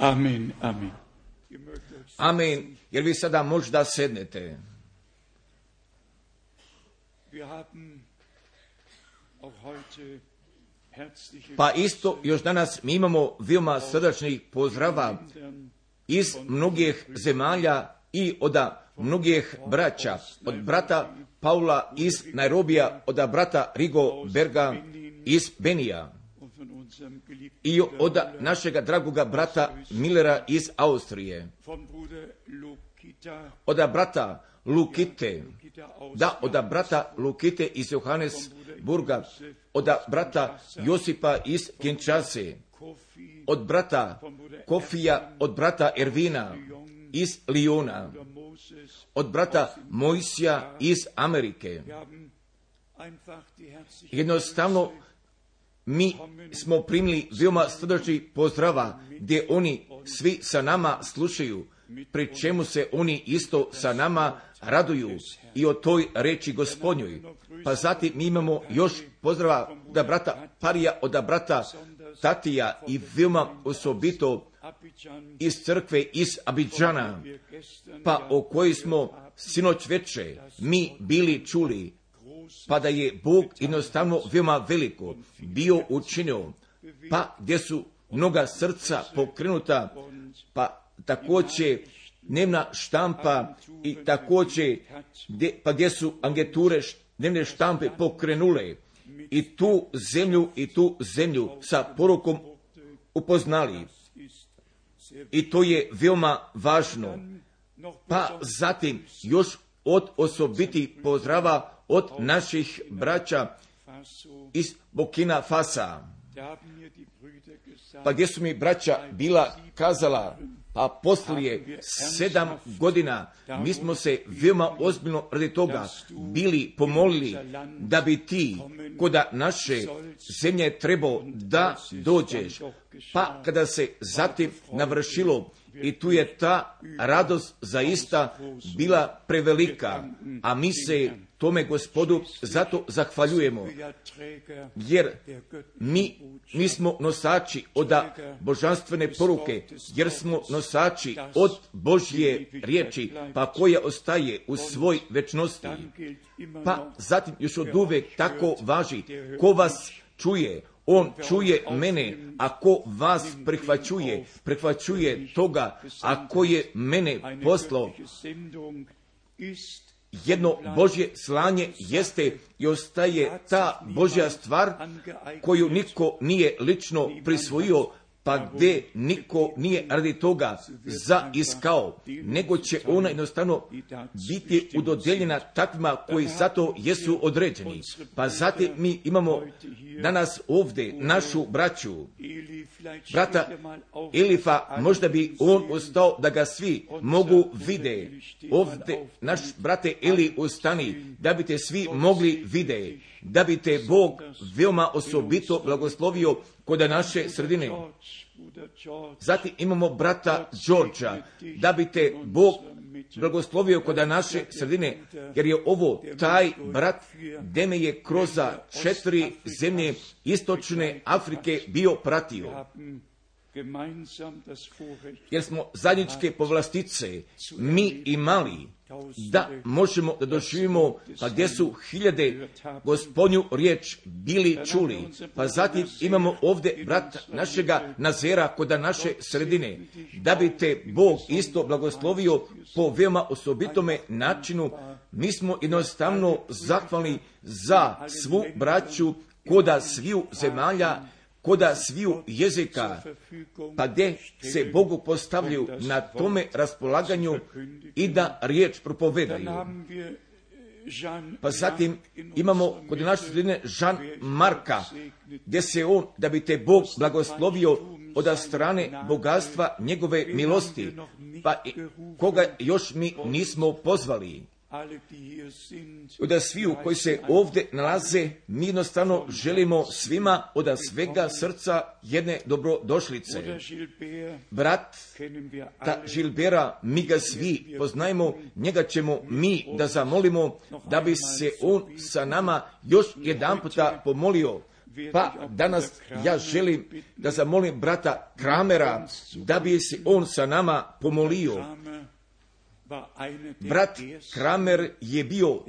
Amen, amen. Amen. Jer vi sada možda sednete. Pa isto još danas mi imamo veoma srdačnih pozdrava iz mnogih zemalja i od mnogih braća, od brata Paula iz Nairobija, od brata Rigo Berga iz Benija i od našega dragoga brata Millera iz Austrije, od brata Lukite, od brata Lukite iz Johannesburga, od brata Josipa iz Kinshase, od brata Kofija, od brata Ervina iz Liona, od brata Mojsija iz Amerike. Jednostavno, mi smo primili veoma srdačnih pozdrava gdje oni svi sa nama slušaju, pri čemu se oni isto sa nama raduju i o toj reči Gospodnjoj. Pa zatim mi imamo još pozdrava od brata Parija, od brata Tatija i veoma osobito iz crkve iz Abidžana, pa o kojoj smo sinoć veče mi bili čuli, pa da je Bog jednostavno veoma veliko bio učinio, pa gdje su mnoga srca pokrenuta, pa također dnevna štampa i također gdje su agenture dnevne štampe pokrenule i tu zemlju sa porukom upoznali. I to je veoma važno. Pa zatim još od osobitih pozdrava od naših braća iz Burkina Fasa. Pa gdje su mi braća bila kazala, pa poslije 7 godina mi smo se veoma ozbiljno radi toga bili pomolili da bi ti kod naše zemlje trebao da dođeš. Pa kada se zatim navršilo i tu je ta radost zaista bila prevelika, a mi se tome Gospodu zato zahvaljujemo, jer mi smo nosači od božanstvene poruke, jer smo nosači od Božje riječi, pa koja ostaje u svoj večnosti. Pa zatim još od uvek tako važi, ko vas čuje, on čuje mene, a ko vas prihvaćuje toga, a ko je mene poslao. Jedno Božje slanje jeste i ostaje ta Božja stvar koju niko nije lično prisvojio, pa gdje niko nije radi toga zaiskao, nego će ona jednostavno biti udodjeljena takvima koji zato jesu određeni. Pa zatim mi imamo danas ovdje našu braću, brata Elifa, možda bi on ostao da ga svi mogu vide. Ovdje naš brate Eli ustani, da bi te svi mogli vide, da bi te Bog veoma osobito blagoslovio kod naše sredine. Zatim imamo brata Đorđa, da bi te Bog blagoslovio kod naše sredine, jer je ovo taj brat gdje me je kroz 4 zemlje istočne Afrike bio pratio. Jer smo zajedničke povlastice mi imali da možemo da doživimo, pa gdje su hiljade Gospodnju riječ bili čuli. Pa zatim imamo ovdje brat našega Nazera kod naše sredine, da bi te Bog isto blagoslovio po veoma osobitome načinu. Mi smo jednostavno zahvalni za svu braću koda sviju zemalja, koda sviju jezika, pa gdje se Bogu postavljaju na tome raspolaganju i da riječ propovedaju. Pa zatim imamo kod naše sredine Jean Marka, gdje se on, da bi te Bog blagoslovio od strane bogatstva njegove milosti, pa koga još mi nismo pozvali. Od sviju koji se ovdje nalaze, mi jednostavno želimo svima od svega srca jedne dobrodošlice. Brat ta Žilbera, mi ga svi poznajemo, njega ćemo mi da zamolimo da bi se on sa nama još jedan puta pomolio, Pa danas ja želim da zamolim brata Kramera da bi se on sa nama pomolio. Brat Kramer je bio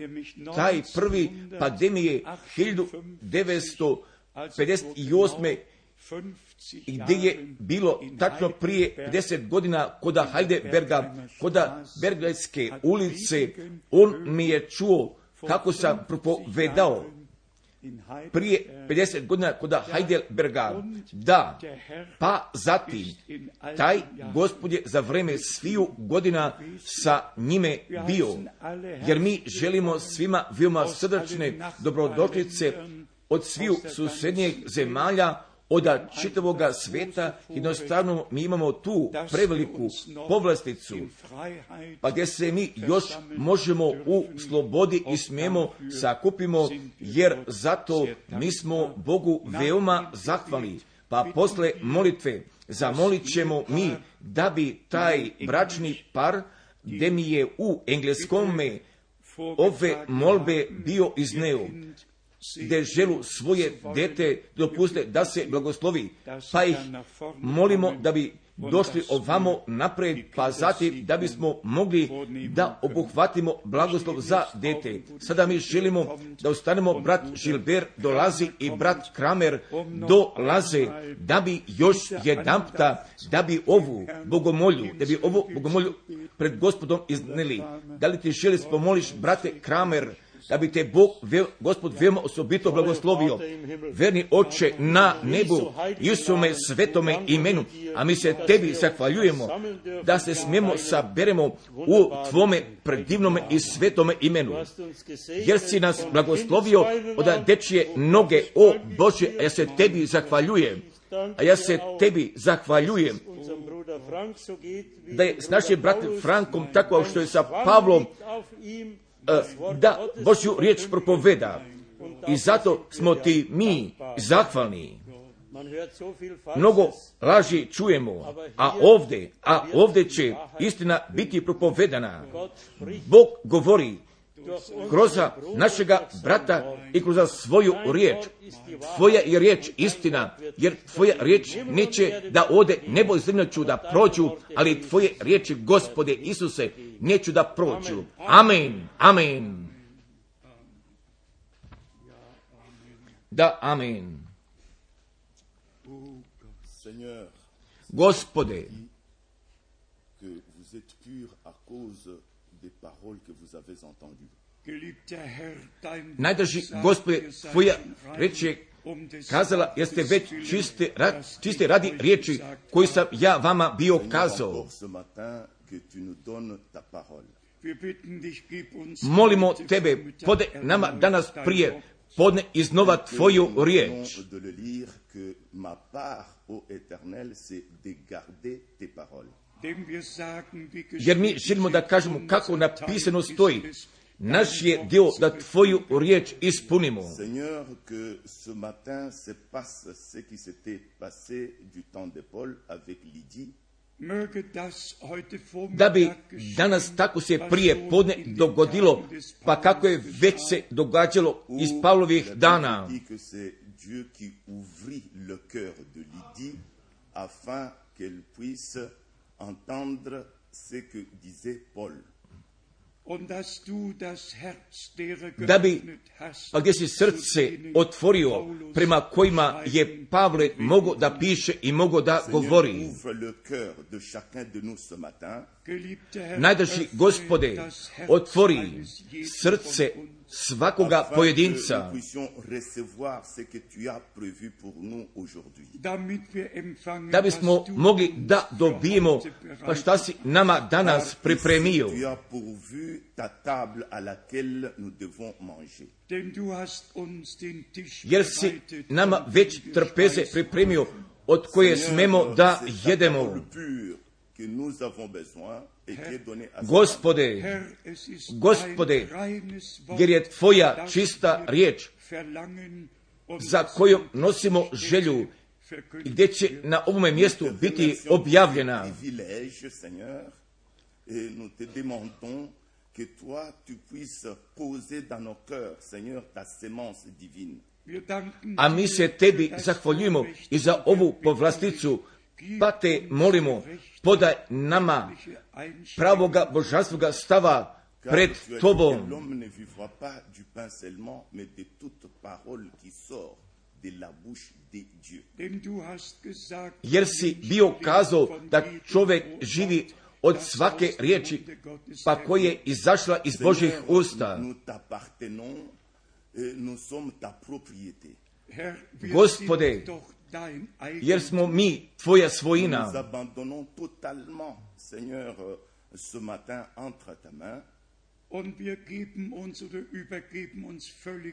taj prvi pandemije 1958. gdje je bilo tačno prije 50 godina kod Heidelberga, kod Bergajske ulice. On mi je čuo kako sam propovedao prije 50 godina kod Heidelberga. Da, pa zatim taj Gospod je za vreme sviju godina sa njime bio, jer mi želimo svima veoma srdačne dobrodošlice od sviju susednjih zemalja, od čitavoga sveta. Jednostavno mi imamo tu preveliku povlasticu, pa gdje se mi još možemo u slobodi i smijemo sakupimo, jer zato mi smo Bogu veoma zahvalni. Pa posle molitve zamolit ćemo mi da bi taj bračni par, gdje mi je u engleskome ove molbe bio izneo, gdje želu svoje dete dopuste da se blagoslovi, pa ih molimo da bi došli ovamo napred, pa zatim da bismo mogli da obuhvatimo blagoslov za dete. Sada mi želimo da ostanemo, brat Žilber dolazi i brat Kramer dolaze, da bi još jedanputa, da bi ovu bogomolju pred Gospodom izneli. Da li ti želi pomoliš, brate Kramer, da bi te Gospod veoma osobito blagoslovio. Verni Oče na nebu, Isume svetome imenu, a mi se tebi zahvaljujemo da se smijemo saberemo u tvome predivnome i svetome imenu, jer si nas blagoslovio od dečije noge, o Bože, ja se tebi zahvaljujem. A ja se tebi zahvaljujem da je s našim bratom Frankom tako što je sa Pavlom da Božju riječ propoveda, i zato smo ti mi zahvalni. Mnogo laži čujemo, a ovdje će istina biti propovedana. Bog govori kroz našega brata i kroz svoju riječ. Tvoja je riječ istina, jer tvoja riječ neće da ode, nebo i zemlja ću da prođu, ali tvoje riječi, Gospode Isuse, neću da prođu. Amen, amen. Da, amen. Gospode, najdrži Gospode, tvoja reč je kazala, jer ste već čiste radi riječi koju sam ja vama bio kazao. Molimo tebe, pode nama danas prije podne iznova tvoju riječ. Jer mi želimo da kažemo kako napisano stoji. Naš je dio da tvoju riječ ispunimo. Da bi danas tako se prije podne dogodilo, pa kako je već se događalo iz Pavlovih dana. Da bi, pa gdje si srce otvorio, prema kojima je Pavle mogao da piše i mogao da govori. Najdrži Gospode, otvori srce svakoga pojedinca, da bismo mogli da dobijemo pa šta si nama danas pripremio. Jer si nama već trpeze pripremio od koje smemo da jedemo. Gospode, jer je tvoja čista riječ za koju nosimo želju i gdje će na ovome mjestu biti objavljena. A mi se tebi zahvaljujemo i za ovu povlasticu, pa te molimo, podaj nama pravoga božanskoga stava pred tobom. Jer si bio kazao da čovjek živi od svake riječi, pa koja je izašla iz Božjih usta. Gospode, jer smo mi tvoja svojina.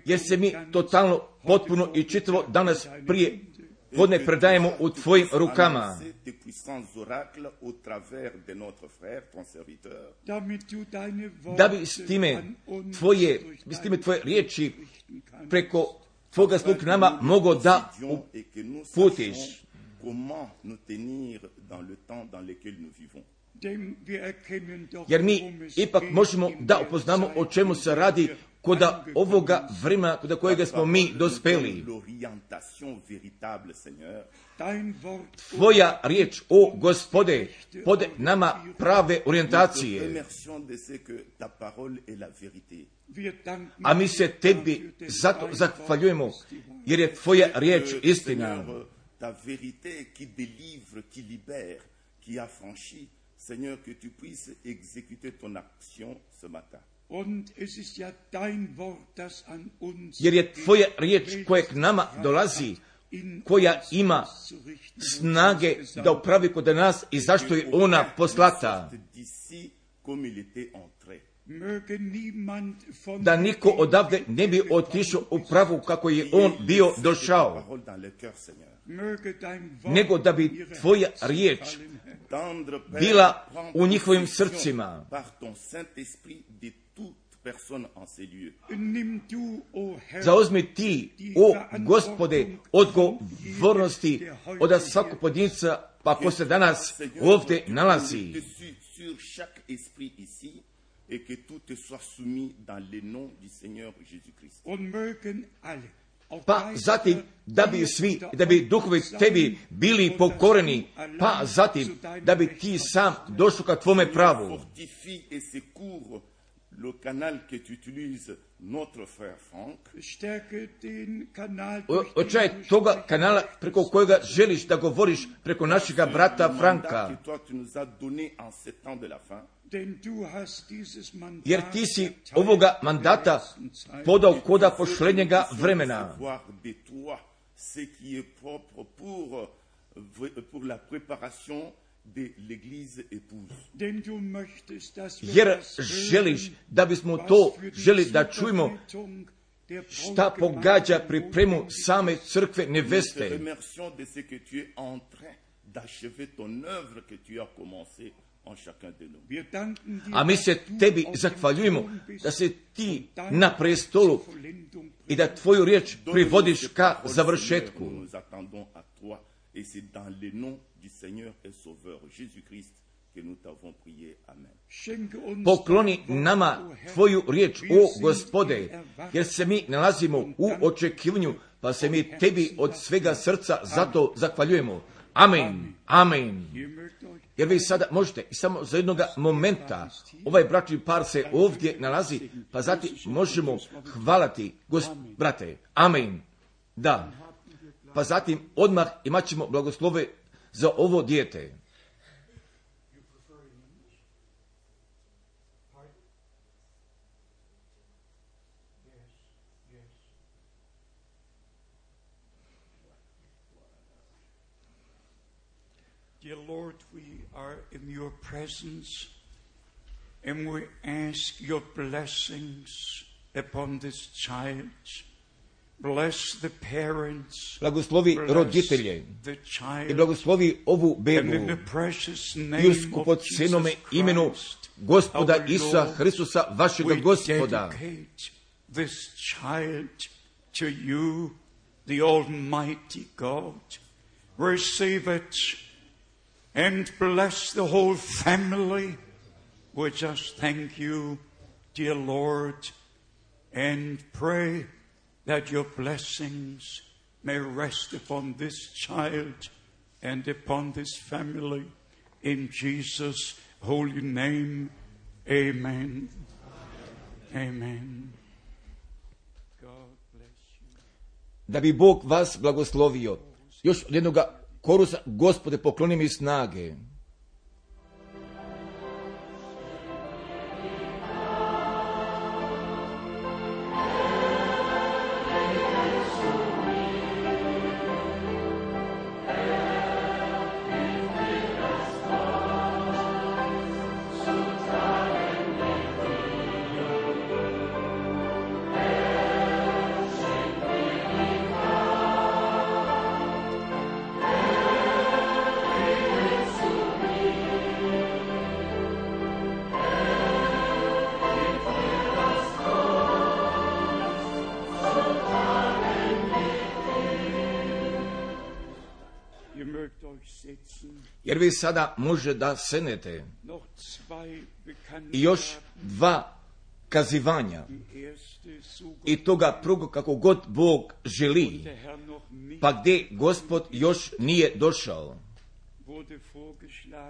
Jer se mi totalno, potpuno i čitavo danas prije podne predajemo u tvojim rukama. Da bi s time tvoje riječi preko tvoga sluga nama mogo da uputiš. Jer mi ipak možemo da upoznamo o čemu se radi kod ovoga vremena kod kojega smo mi dospeli. Tvoja riječ, o Gospode, pod nama prave orijentacije. A mi se tebi zato zahvaljujemo, jer je tvoja riječ istina. Seigneur, que tu puisses exécuter ton action ce matin. Jer je tvoja riječ koja k nama dolazi, koja ima snage da upravi kod nas i zašto je ona poslata. Da niko odavde ne bi otišao u pravu kako je on bio došao, nego da bi tvoja riječ bila u njihovim srcima. Zauzmi ti, o Gospode, odgovornosti od svakog pojedinca, pa ko se danas ovdje nalazi. Et que tout te soit soumis dans le nom du Seigneur Jésus-Christ. Pa zatim da bi svi, da bi duhovi tebi bili pokoreni, pa zatim da bi ti sam došao ka tvome pravu. Le canal que tu utilises, notre frère Franck. Očaj toga kanala preko kojega želiš da govoriš preko našega brata Franka. Jer ti si ovoga mandata podao koda pošlednjega vremena. Jer želiš da bismo to želi da čujemo šta pogađa pripremu same crkve neveste. A mi se tebi zahvaljujemo da se ti na prestolu i da tvoju riječ privodiš ka završetku. Et c'est dans le nom du Seigneur et Sauveur Jésus-Christ que nous t'avons prié. Amen. Pokloni nama tvoju riječ, o Gospode, jer se mi nalazimo u očekivanju, pa se mi tebi od svega srca zato zahvaljujemo. Amen. Amen. Jer vi sada možete i samo za jednog momenta, ovaj bračni par se ovdje nalazi, pa zatim možemo hvalati, brate. Amen. Da. Pa zatim odmah imat ćemo blagoslove za ovo dijete. Dear Lord, we are in your presence and we ask your blessings upon this child. Bless the parents, blagoslovi roditelje i blagoslovi ovu bebu i u skupocenome imenu Gospoda Isusa Hristusa, vašega Gospoda. This child to you, the Almighty God. Receive it and bless the whole family. We just thank you, dear Lord, and pray that your blessings may rest upon this child and upon this family. In Jesus' holy name, amen. Amen. God bless you. Da bi Bog vas blagoslovio. Još od jednoga korusa, Gospode, pokloni mi snage. Jer vi sada može da sednete. I još dva kazivanja. I toga prugo kako god Bog želi. Pa gdje Gospod još nije došao.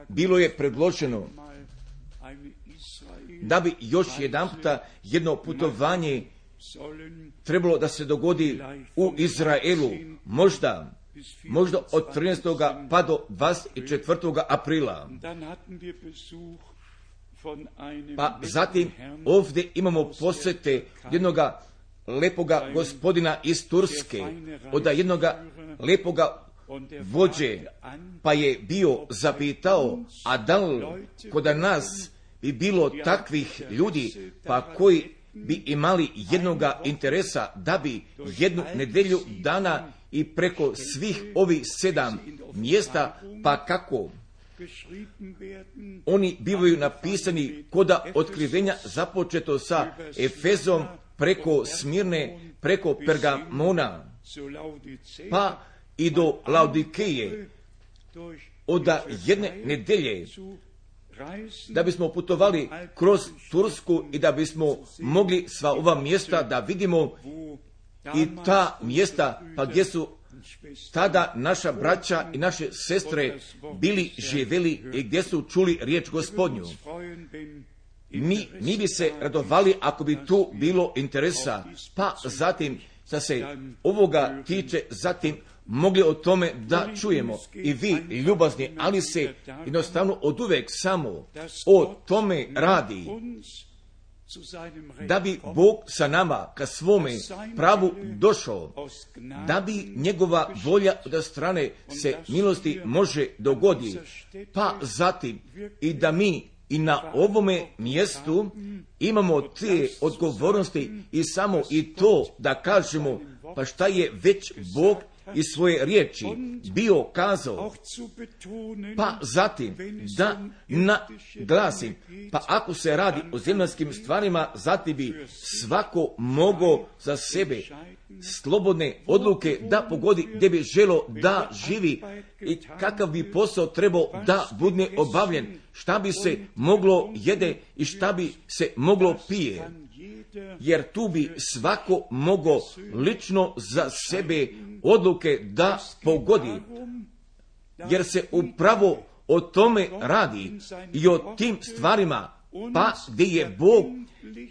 Bilo je predloženo da bi još jedanputa jedno putovanje trebalo da se dogodi u Izraelu. Možda od 13. pa do 24. aprila. Pa zatim ovdje imamo posjete jednoga lepoga gospodina iz Turske, od jednoga lepoga vođe, pa je bio zapitao, a da li kod nas bi bilo takvih ljudi, pa koji bi imali jednoga interesa da bi jednu nedelju dana i preko svih ovih 7 mjesta, pa kako oni bivaju napisani koda otkrivenja započeto sa Efezom, preko Smirne, preko Pergamona, pa i do Laodikeje, od jedne nedelje, da bismo putovali kroz Tursku i da bismo mogli sva ova mjesta da vidimo i ta mjesta pa gdje su tada naša braća i naše sestre bili živjeli i gdje su čuli riječ Gospodnju. Mi bi se radovali ako bi tu bilo interesa, pa zatim da se ovoga tiče, zatim mogli o tome da čujemo i vi ljubazni, ali se jednostavno oduvek samo o tome radi, da bi Bog sa nama ka svome pravu došao, da bi njegova volja od strane se milosti može dogodi, pa zatim i da mi i na ovome mjestu imamo te odgovornosti i samo i to da kažemo, pa šta je već Bog iz svoje riječi bio kazao, pa zatim da naglasim, pa ako se radi o zemaljskim stvarima, zatim bi svako mogao za sebe slobodne odluke da pogodi gdje bi želo da živi i kakav bi posao trebao da bude obavljen, šta bi se moglo jede i šta bi se moglo pije. Jer tu bi svako mogao lično za sebe odluke da pogodi. Jer se upravo o tome radi i o tim stvarima, pa gdje je Bog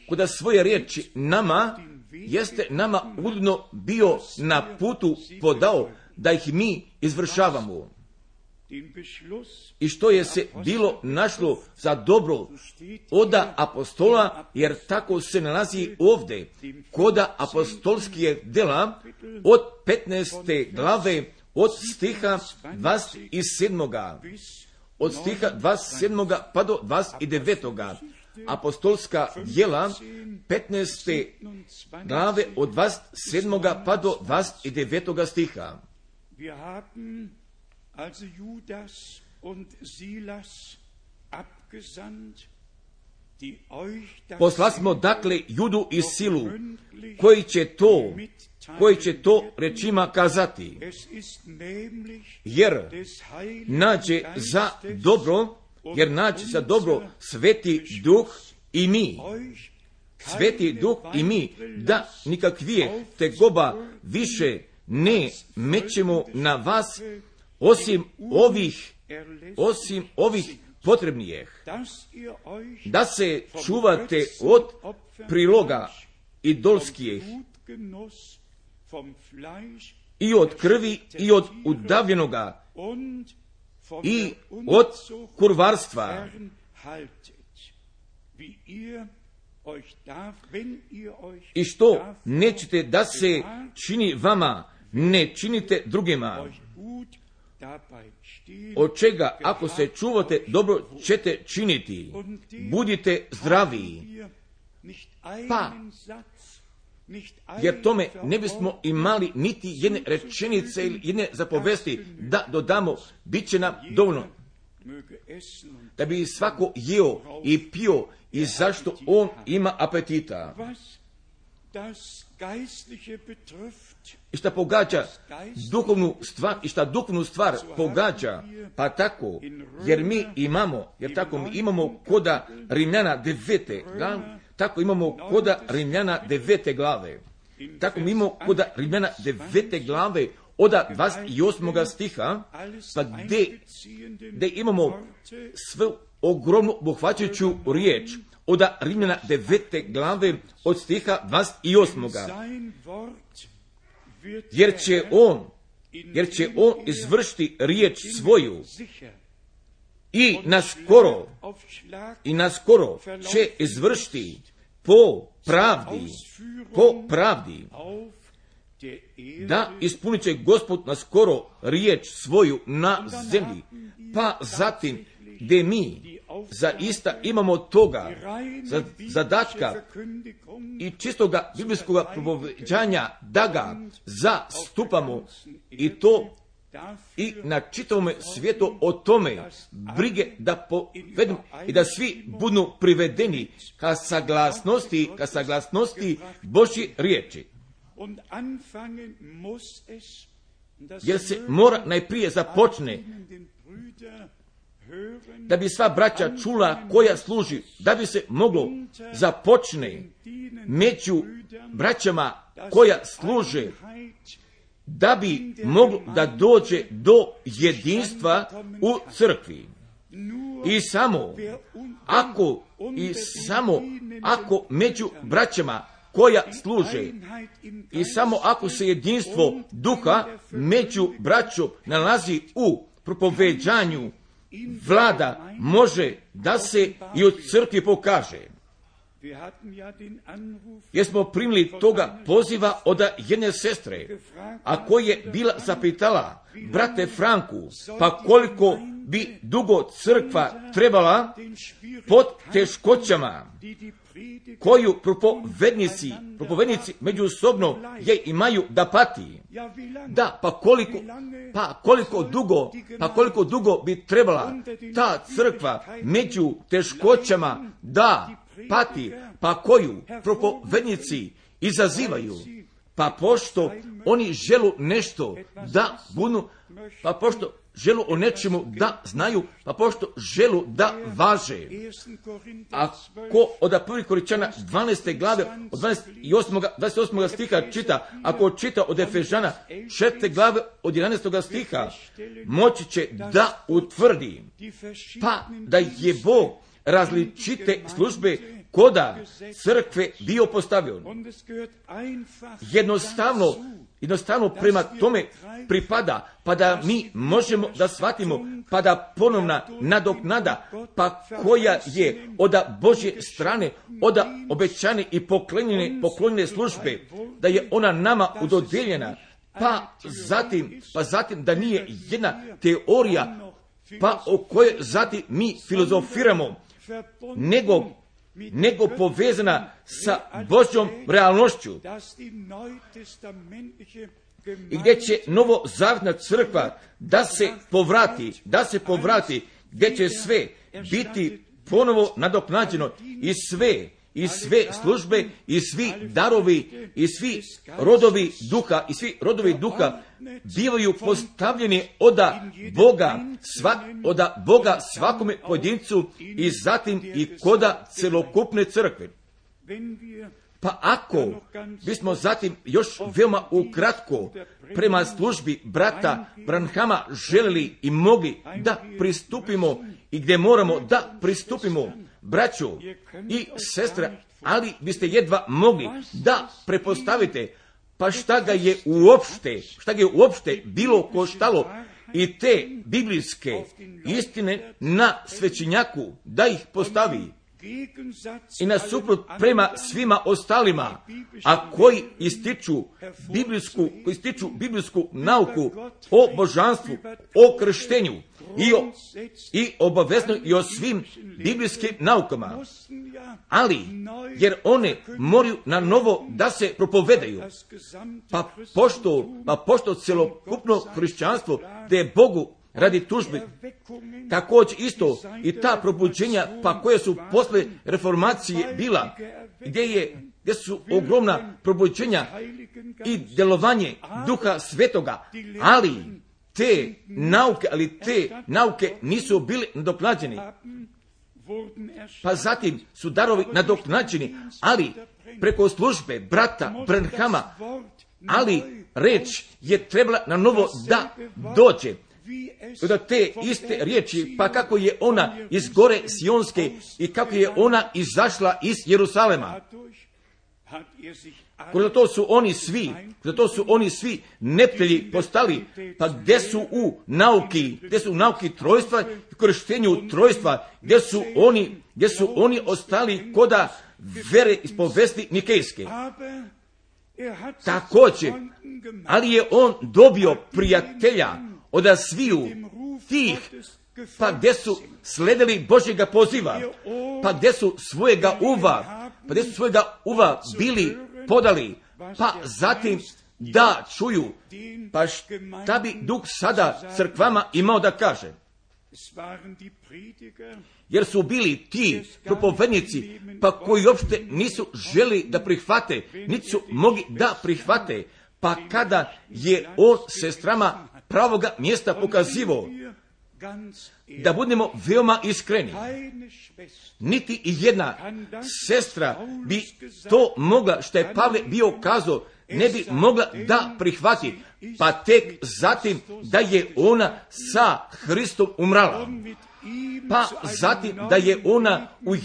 kod svoje riječi nama, jeste nama uredno bio na putu podao da ih mi izvršavamo. I što je se bilo našlo za dobro oda apostola, jer tako se nalazi ovdje, koda apostolskih dela od 15. glave, od stiha 27. Od stiha 27. pa do 29. Apostolska djela 15. glave od 27. pa do 29. stiha. Also Judas und Silas abgesandt, die euch das Poslali smo dakle Judu i Silu, koji će to rečima kazati, jer nađe za dobro Sveti Duh i mi, Sveti Duh i mi, da nikakvije tegoba više ne mećemo na vas, osim ovih potrebnijih, da se čuvate od priloga idolskih i od krvi i od udavljenoga i od kurvarstva. I što nećete da se čini vama, ne činite drugima. Od čega, ako se čuvate, dobro ćete činiti. Budite zdravi. Pa, jer tome ne bismo imali niti jedne rečenice ili jedne zapovesti da dodamo, bit će nam dovoljno. Da bi svako jeo i pio i zašto on ima apetita. I šta pogađa duhovnu stvar, i šta duhovnu stvar pogađa, pa tako, jer mi imamo koda Rimljana 9. glave, tako imamo koda Rimljana 9. glave, tako mi imamo koda Rimljana 9. glave, od 28. stiha, pa gdje imamo svu ogromnu obuhvaćajuću riječ, od Rimljana 9. glave, od stiha 28. Jer će on izvršiti riječ svoju i naskoro će izvršiti po pravdi, da ispunit će Gospod naskoro riječ svoju na zemlji. Pa zatim, gdje mi zaista imamo toga zadatka i čistoga biblijskoga propoveđanja da ga zastupamo i to i na čitavom svijetu o tome brige da povedemo i da svi budu privedeni ka saglasnosti Božje riječi. Jer se mora najprije započne da bi sva braća čula koja služi, da bi se moglo započne među braćama koja služe, da bi moglo da dođe do jedinstva u crkvi. I samo ako među braćama koja služe i samo ako se jedinstvo duha među braćom nalazi u propoveđanju, vlada može da se i u crkvi pokaže. Jer smo primili toga poziva od jedne sestre, a koja je bila zapitala brate Franku, pa koliko bi dugo crkva trebala pod teškoćama koju propovednici međusobno je imaju da pati. Da, pa koliko dugo bi trebala ta crkva među teškoćama da pati, pa koju propovednici izazivaju, pa pošto oni želu nešto da budu, pa pošto želu o nečemu da znaju, pa pošto želu da važe. Ako od 1. Korinčana 12. glave od 28. stiha čita, ako čita od Efežana 4. glave od 11. stiha, moći će da utvrdi, pa da je Bog različite službe koda crkve bio postavio. Jednostavno prema tome pripada, pa da mi možemo da shvatimo, pa da ponovna nadoknada, pa koja je od Božje strane, od obećane i poklonjene službe, da je ona nama udodijeljena, pa zatim da nije jedna teorija, pa o kojoj zatim mi filozofiramo, nego povezana sa Božjom realnošću. I gdje će novozavjetna crkva da se povrati, gdje će sve biti ponovo nadoknađeno i sve službe i svi darovi i svi rodovi duha bivaju postavljeni od Boga svakome pojedincu i zatim i koda celokupne crkve. Pa ako bismo zatim još veoma ukratko prema službi brata Branhama želeli i mogli da pristupimo i gdje moramo da pristupimo, braćo i sestre, ali biste jedva mogli da prepostavite pa šta ga je uopšte bilo koštalo i te biblijske istine na svećenjaku da ih postavi i nasuprot prema svima ostalima, a koji ističu biblijsku nauku o božanstvu, o krštenju i obavezno i o svim biblijskim naukama, ali jer one moraju na novo da se propovedaju, pa pošto celokupno hrišćanstvo te je Bogu radi tužbi, također isto i ta probuđenja pa koje su posle reformacije bila, gdje su ogromna probuđenja i djelovanje Duha Svetoga, ali te nauke nisu bile nadoknađene. Pa zatim su darovi nadoknađeni, ali preko službe brata Branhama, ali reč je trebala na novo da dođe. Da te iste riječi, pa kako je ona iz gore Sionske i kako je ona izašla iz Jerusalema. Zato su oni svi neprijatelji postali, pa gdje su u nauki trojstva, korištenju trojstva, gdje su oni ostali koda vere ispovesti Nikejske. Također, ali je on dobio prijatelja od sviju tih, pa gdje su sledili Božjega poziva, pa gdje su svojega uva bili podali, pa zatim da čuju, pa šta bi Duh sada crkvama imao da kaže. Jer su bili ti propovednici, pa koji uopšte nisu želi da prihvate, niti su mogli da prihvate, pa kada je on sestrama pravoga mjesta pokazivo, da budemo veoma iskreni, niti i jedna sestra bi to mogla, što je Pavle bio kazao, ne bi mogla da prihvati, pa tek zatim da je ona sa Hristom umrala, pa zatim da je ona u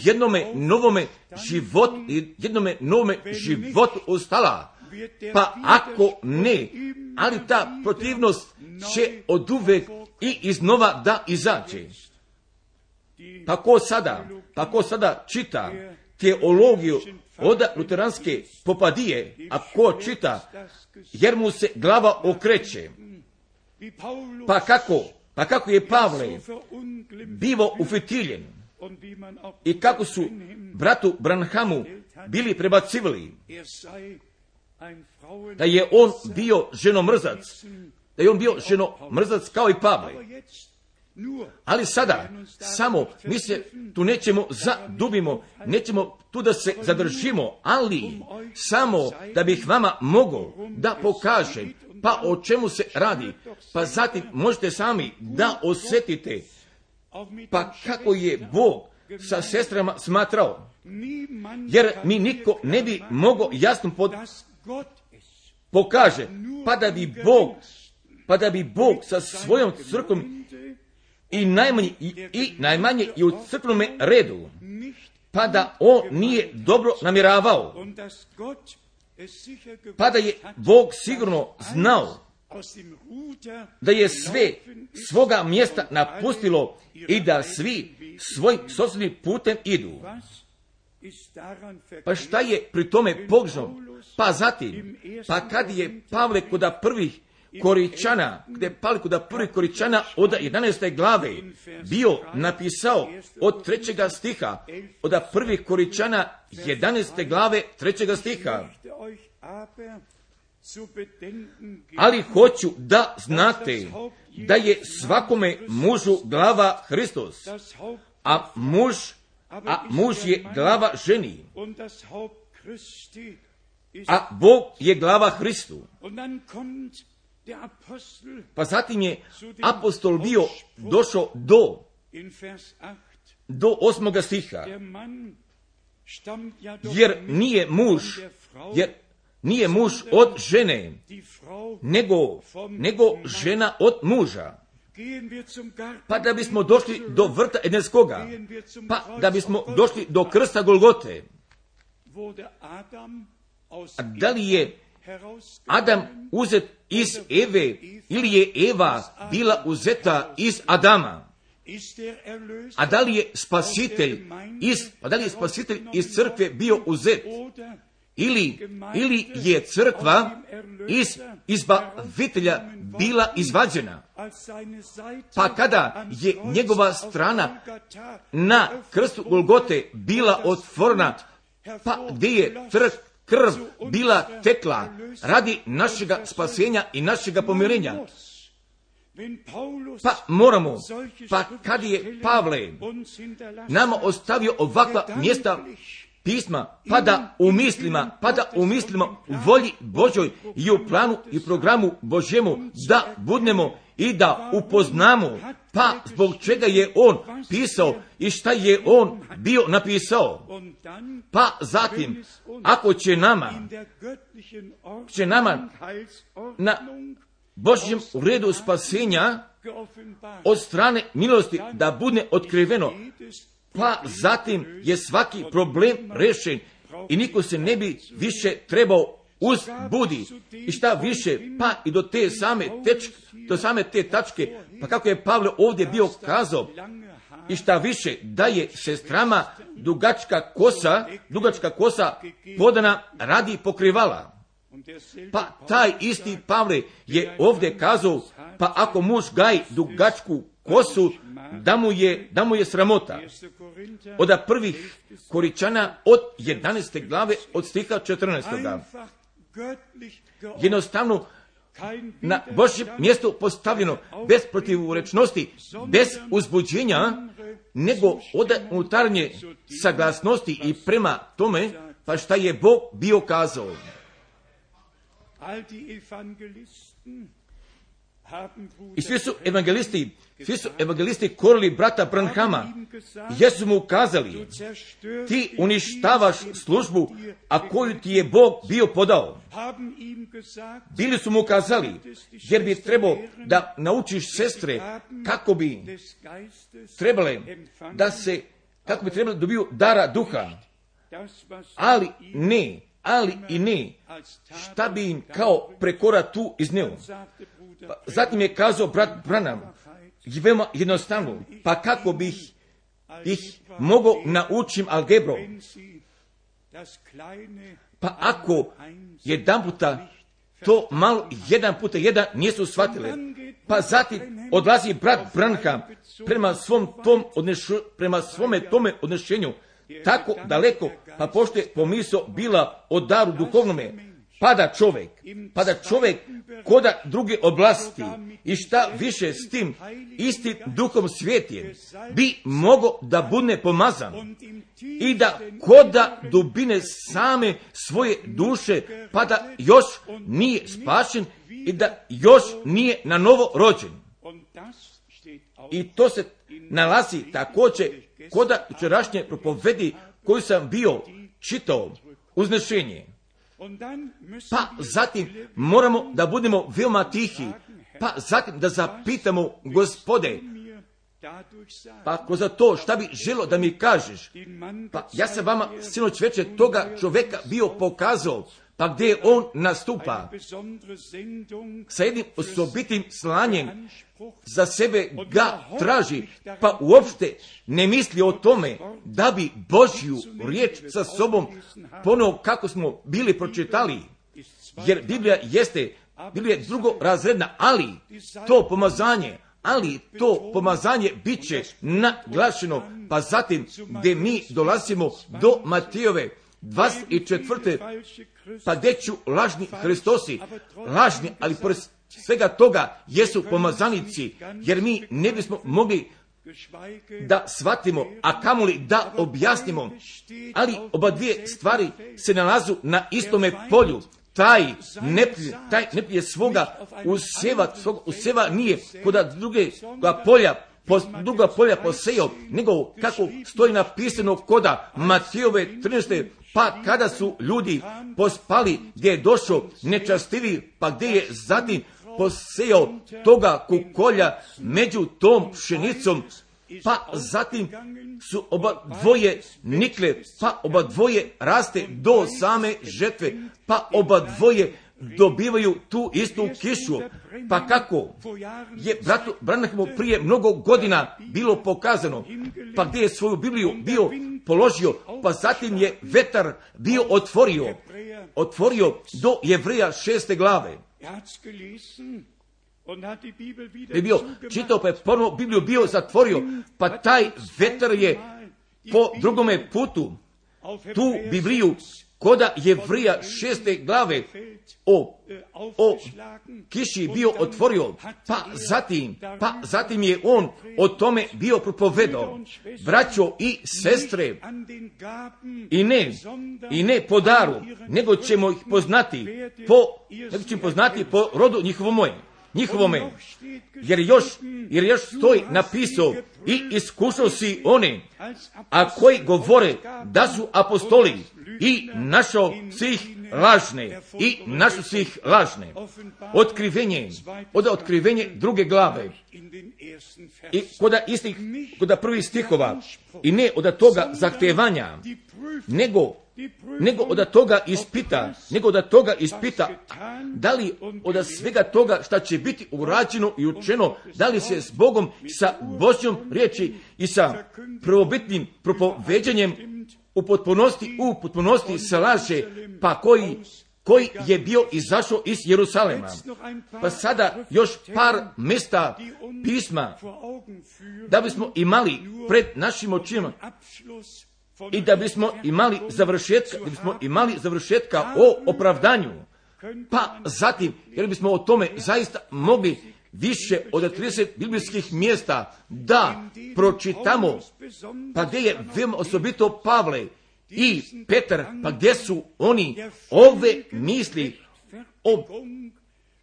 jednome novome životu ostala. Pa ako ne, ali ta protivnost će oduvek i iznova da izađe. Pa ko sada čita teologiju od luteranske popadije, a ko čita, jer mu se glava okreće. Pa kako je Pavle bivo ufitiljen i kako su bratu Branhamu bili prebacivali, da je on bio ženomrzac kao i Pavle. Ali sada, samo, mi se tu nećemo zadubimo, nećemo tu da se zadržimo, ali samo da bih vama mogao da pokažem, pa o čemu se radi, pa zatim možete sami da osjetite, pa kako je Bog sa sestrama smatrao, jer mi niko ne bi mogao jasno pokaže, pa da bi Bog sa svojom crkvom i najmanje i u crkvenome redu, pa da on nije dobro namjeravao, pa da je Bog sigurno znao da je sve svoga mjesta napustilo i da svi svojim sopstvenim putem idu. Pa šta je pri tome pogrešno? Pa zatim, pa kad je Pavle kod prvih Koričana od 11. glave bio napisao od 3. stiha, od prvih Koričana 11. glave 3. stiha. Ali hoću da znate da je svakome mužu glava Hristos, a muž je glava ženi, a Bog je glava Hristu. Pa zatim je apostol bio došao do 8. stiha. jer nije muž od žene, nego žena od muža. Pa da bismo došli do vrta Edenskoga, pa da bismo došli do krsta Golgote. A da li je Adam uzet iz Eve ili je Eva bila uzeta iz Adama? A da li je spasitelj iz crkve bio uzet? Ili je crkva iz izbavitelja bila izvađena? Pa kada je njegova strana na krstu Golgote bila otvorena, pa gdje je krv bila tekla radi našega spasenja i našega pomirenja. Pa kad je Pavle nama ostavio ovakva mjesta pisma, pa da u mislima u volji Božoj i u planu i programu Božjemu da budnemo i da upoznamo, pa zbog čega je on pisao i šta je on bio napisao. Pa zatim, ako će nama na Božjem redu spasenja od strane milosti da bude otkriveno, pa zatim je svaki problem rešen i niko se ne bi više trebao uzbudi. I šta više, pa i do same te tačke, pa kako je Pavle ovdje bio kazao, i šta više, da je sestrama dugačka kosa podana radi pokrivala. Pa taj isti Pavle je ovdje kazao, pa ako muž gaji dugačku kosu, da mu je sramota. Od prvih Koričana od 11. glave od stiha 14. Jednostavno na Božjem mjestu postavljeno, bez protivrečnosti, bez uzbuđenja, nego od unutarnje saglasnosti i prema tome, pa šta je Bog bio kazao. I svi su evangelisti korili brata Branhama, jer su mu kazali, ti uništavaš službu, a koju ti je Bog bio podao. Bili su mu kazali, jer bi trebao da naučiš sestre kako bi trebale dobiju dara duha, ali i ne, šta bi im kao prekora tu izneo. Pa zatim je kazao brat Branham, veoma jednostavno, pa kako bih ih mogao naučim algebru? Pa ako jedan puta to malo 1x1 nisu shvatile, pa zatim odlazi brat Branham prema svome tome odnešenju tako daleko, pa pošto je pomisao bila o daru duhovnome, pada čovjek koda druge oblasti i šta više s tim istim duhom svjetije bi mogao da bude pomazan i da koda dubine same svoje duše, pa da još nije spašen i da još nije na novo rođen. I to se nalazi također koda včerašnje propovedi koju sam bio čitao, uznešenje. Pa zatim moramo da budemo veoma tihi, pa zatim da zapitamo Gospode, pa ako za to šta bi želo da mi kažeš, pa ja sam vama sinoć večer toga čovjeka bio pokazao, pa gdje on nastupa sa jednim osobitim slanjem, za sebe ga traži, pa uopšte ne misli o tome da bi Božju riječ sa sobom ponovo kako smo bili pročitali, jer Biblija je drugorazredna, ali to pomazanje bit će naglašeno, pa zatim gdje mi dolazimo do Matijove 24. pa gdje ću lažni Hristosi, ali pored svega toga jesu pomazanici, jer mi ne bismo mogli da shvatimo, a kamoli da objasnimo, ali oba dvije stvari se nalazu na istome polju. Taj neprijatelj svoga useva nije kod druge polja druga polja posejao, nego kako stoji napisano koda Matijove 13. Pa kada su ljudi pospali, gdje je došao nečastivi, pa gdje je zatim posejao toga kukolja među tom pšenicom, pa zatim su oba dvoje nikle, pa oba dvoje raste do same žetve, pa oba dvoje dobivaju tu istu kišu. Pa kako je bratu Branhamu prije mnogo godina bilo pokazano, pa gdje je svoju Bibliju bio položio, pa zatim je vetar bio otvorio do Jevreja 6. glave. Je bio čitao, pa je ponovo Bibliju bio zatvorio, pa taj vetar je po drugome putu tu Bibliju koda Jevreja 6. glave o kiši bio otvorio, pa zatim je on o tome bio propovedao. Braćo i sestre, i ne po daru, nego ćemo ih poznati po rodu njihovome, jer još stoji napisao i iskušao si one, a koji govore da su apostoli i našao si ih lažne. Otkrivenje 2. glave i koda prvih stihova, i ne od toga zahtevanja, nego od toga ispita, da li od svega toga šta će biti urađeno i učeno, da li se s Bogom, sa Božjom riječi i sa prvobitnim propoveđanjem u potpunosti slaže, pa koji je bio izašao iz Jerusalema. Pa sada još par mjesta pisma da bismo imali pred našim očima i da bismo imali završetka o opravdanju. Pa zatim, jer bismo o tome zaista mogli više od 30 biblijskih mjesta da pročitamo, pa gdje je veoma osobito Pavle i Petar, pa gdje su oni ove misli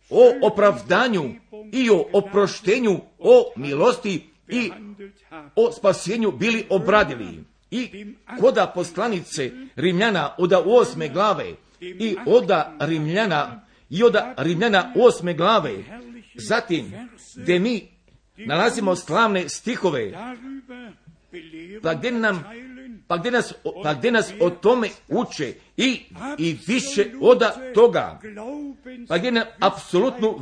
o opravdanju i o oproštenju, o milosti i o spasenju bili obradili. I koda poslanice Rimljana od 8. glave i od Rimljana 8. glave, zatim gdje mi nalazimo slavne stihove, pa gdje nas o tome uče i više od toga, pa gdje nam apsolutnu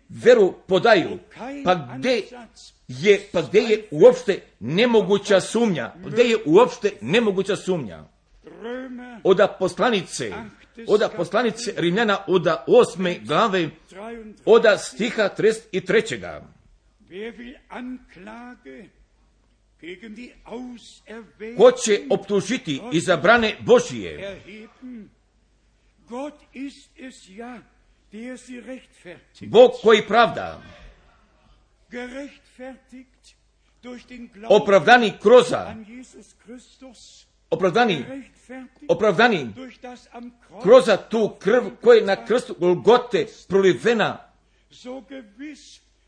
veru podaju, pa gdje je uopšte nemoguća sumnja, od poslanice Rimljana od 8. glave od stiha 33. Ko će optužiti izabrane Božije? Bog koji pravda, opravdani kroz tu krv koja je na krstu Golgote prolivena,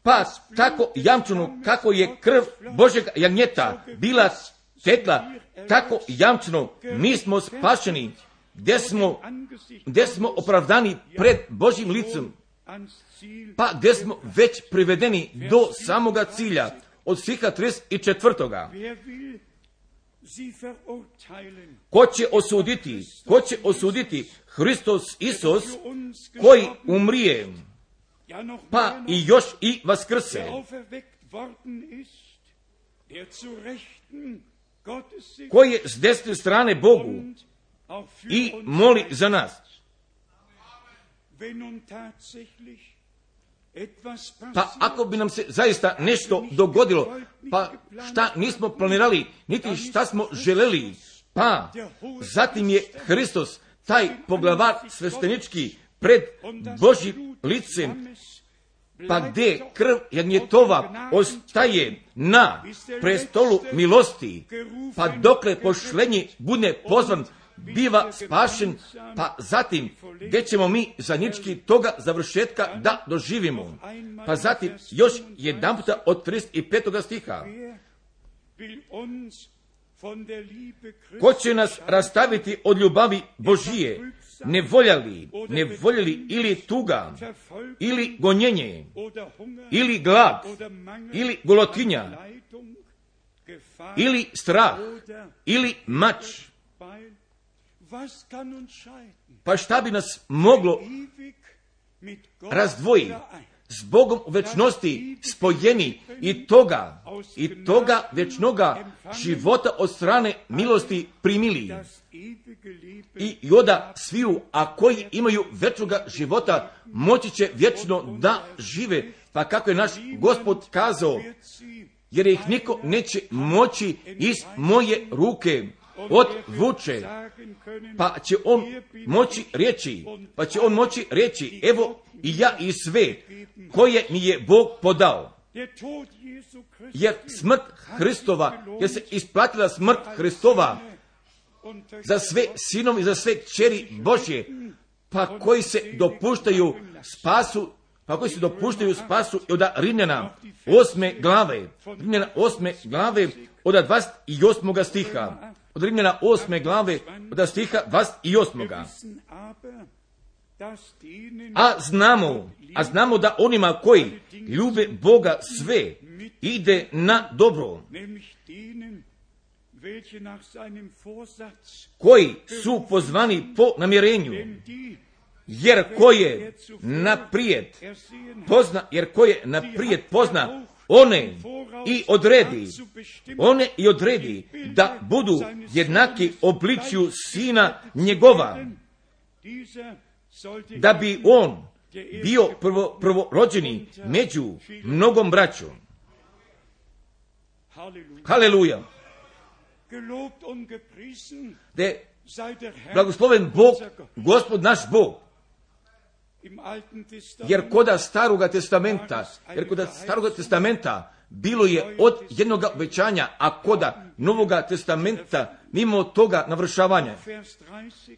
pa tako jamčeno kako je krv Božjeg jagnjeta bila tekla, tako jamčeno mi smo spašeni, gdje smo opravdani pred Božjim licem, pa gdje smo već privedeni do samoga cilja, od stiha 34. Ko će osuditi? Hristos Isus, koji umrije, pa i još i vaskrse, koji je s desne strane Bogu i moli za nas. Pa ako bi nam se zaista nešto dogodilo, pa šta nismo planirali, niti šta smo želeli, pa zatim je Hristos, taj poglavar sveštenički, pred Božjim licem, pa gdje krv jagnjetova ostaje na prestolu milosti, pa dokle pošlenji bude pozvan biva spašen, pa zatim gdje ćemo mi zajednički toga završetka da doživimo. Pa zatim još jedan puta od 35. stiha. Ko će nas rastaviti od ljubavi Božije, ne voljeli ili tuga, ili gonjenje, ili glad, ili golotinja, ili strah, ili mač. Pa šta bi nas moglo razdvojiti? S Bogom u večnosti spojeni i toga večnoga života od strane milosti primili. I onda sviju, a koji imaju večnoga života, moći će vječno da žive. Pa kako je naš Gospod kazao, jer ih niko neće moći iz moje ruke odvuče, pa će on moći reći, evo i ja i sve koje mi je Bog podao. Jer smrt Hristova, jer se isplatila smrt Hristova za sve sinove i za sve kćeri Božje, pa koji se dopuštaju spasu od Rimljana 8. glave od 28. stiha. Od Rimljana 8. glave od stiha 28. A znamo da onima koji ljube Boga sve ide na dobro, koji su pozvani po namjerenju, jer ko je naprijed pozna one i odredi da budu jednaki obličju Sina njegova, da bi on bio prvorođeni među mnogom braćom. Haleluja! Da je blagosloven Bog, Gospod naš Bog. Jer koda Staroga testamenta bilo je od jednog obećanja, a koda Novoga testamenta mimo toga navršavanja.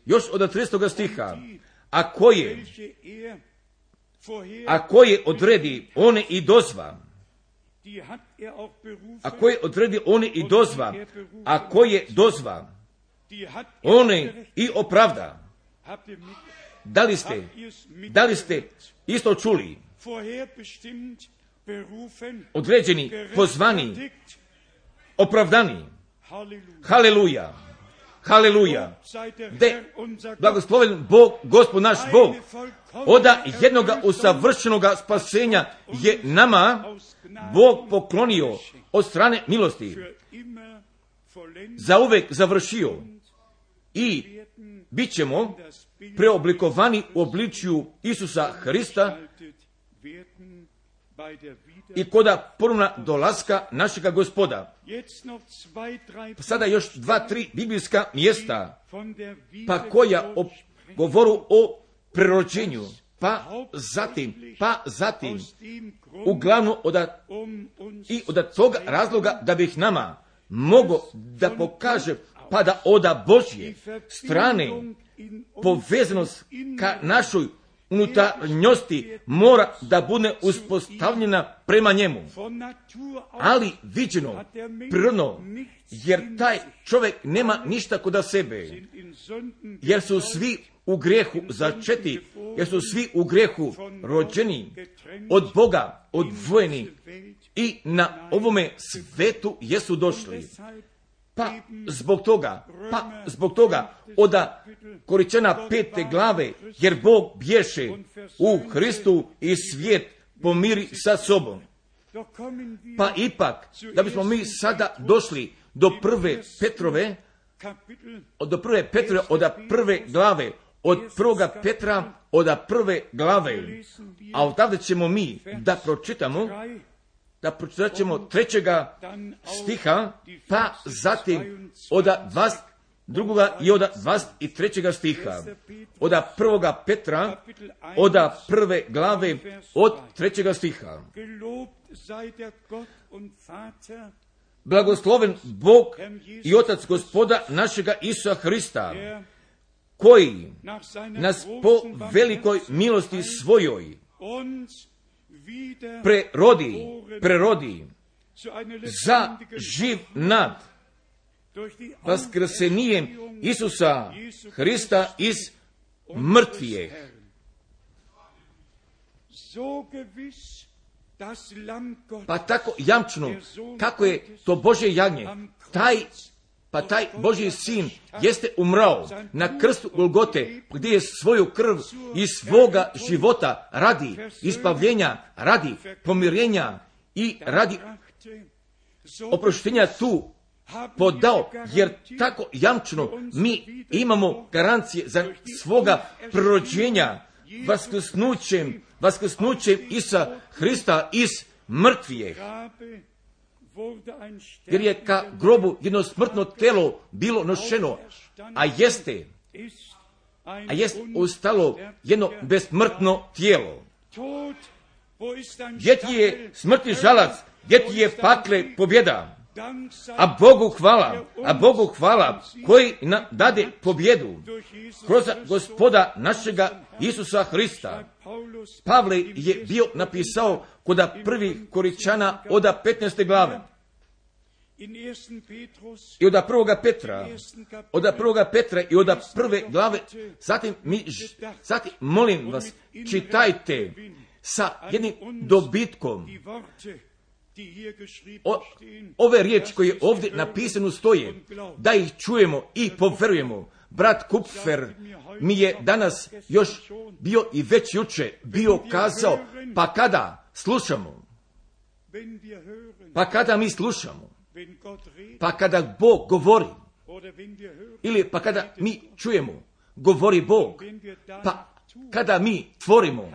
Još od 30. stiha, a koje odredi one i dozva, one i opravda. Da li ste isto čuli? Određeni, pozvani, opravdani. Haleluja. De blagosloven Bog, Gospod naš Bog, oda jednoga usavršenoga spasenja je nama Bog poklonio od strane milosti. Zauvek završio i bit ćemo preoblikovani u obličju Isusa Hrista i koda ponovna dolaska našega Gospoda. Sada još 2-3 biblijska mjesta, pa koja govoru o prerođenju, pa zatim uglavnom od toga razloga da bih nama mogo da pokaže pa da oda Božje strane povezanost ka našoj unutarnjosti mora da bude uspostavljena prema njemu. Ali viđeno, prirodno, jer taj čovjek nema ništa kod sebe, jer su svi u grijehu začeti, jer su svi u grijehu rođeni, od Boga odvojeni i na ovome svetu jesu došli. Pa zbog toga od Koričana 5. glave, jer Bog bješe u Hristu i svijet pomiri sa sobom. Pa ipak, da bismo mi sada došli do prve Petrove, od 1. glave, od 1. Petra, od 1. glave, a odavde ćemo mi da pročitat ćemo 3. stiha, pa zatim od 22. i od 23. stiha, od 1. Petra, od 1. glave, od 3. stiha. blagosloven Bog i Otac Gospoda našega Isusa Hrista, koji nas po velikoj milosti svojoj prerodi za živ nad vaskrsenjem Isusa Hrista iz mrtvijeh. Pa tako jamčno, kako je to Božje jagnje, taj Božji sin jeste umrao na krstu Golgote, gdje je svoju krv i svoga života radi ispavljenja, radi pomirenja i radi oproštenja tu podao, jer tako jamčno mi imamo garancije za svoga prorođenja vaskrsnućem Isusa Hrista iz mrtvijeh. Jer je ka grobu jedno smrtno telo bilo nošeno, a jest ostalo jedno besmrtno tijelo. Gdje ti je smrtni žalac, gdje ti je pakle pobjeda? A Bogu hvala koji nam dade pobjedu kroz Gospoda našega Isusa Hrista. Pavle je bio napisao kod prvih Koričana od 15. glave i od prvoga Petra i od prve glave. Zatim molim vas, čitajte sa jednim dobitkom ove riječi koje ovdje napisano stoje, da ih čujemo i poverujemo. Brat Kupfer mi je danas još bio i već juče bio kazao, pa kada mi slušamo, pa kada Bog govori, ili pa kada mi čujemo, govori Bog, pa kada mi tvorimo,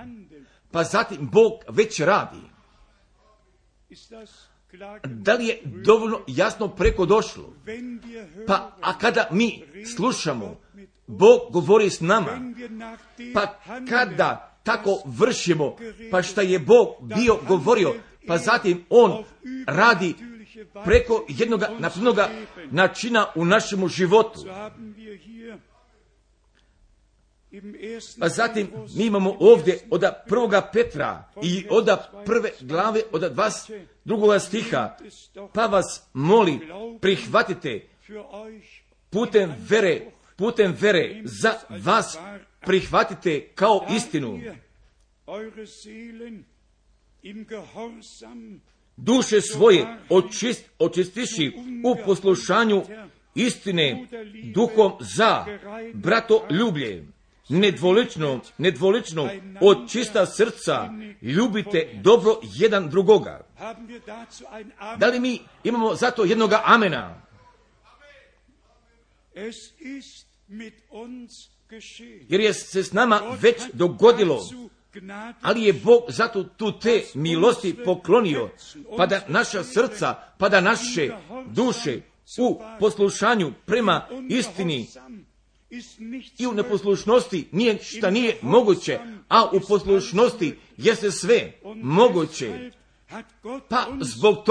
pa zatim Bog već radi. Da li je dovoljno jasno preko došlo? Pa a kada mi slušamo, Bog govori s nama, pa kada tako vršimo, pa šta je Bog bio govorio, pa zatim On radi preko jednog napravnog načina u našemu životu. Pa zatim mi imamo ovdje od 1. Petra i od 1. glave od 22. stiha, pa vas molim, prihvatite putem vere za vas prihvatite kao istinu. Duše svoje očistiši u poslušanju istine duhom za bratoljublje. Nedvolično od čista srca ljubite dobro jedan drugoga. Da li mi imamo zato jednoga amena? Jer je se s nama već dogodilo, ali je Bog zato tu te milosti poklonio, pa da naša srca, pa da naše duše u poslušanju prema istini i u neposlušnosti nije moguće, a u poslušnosti jeste sve moguće. Pa zbog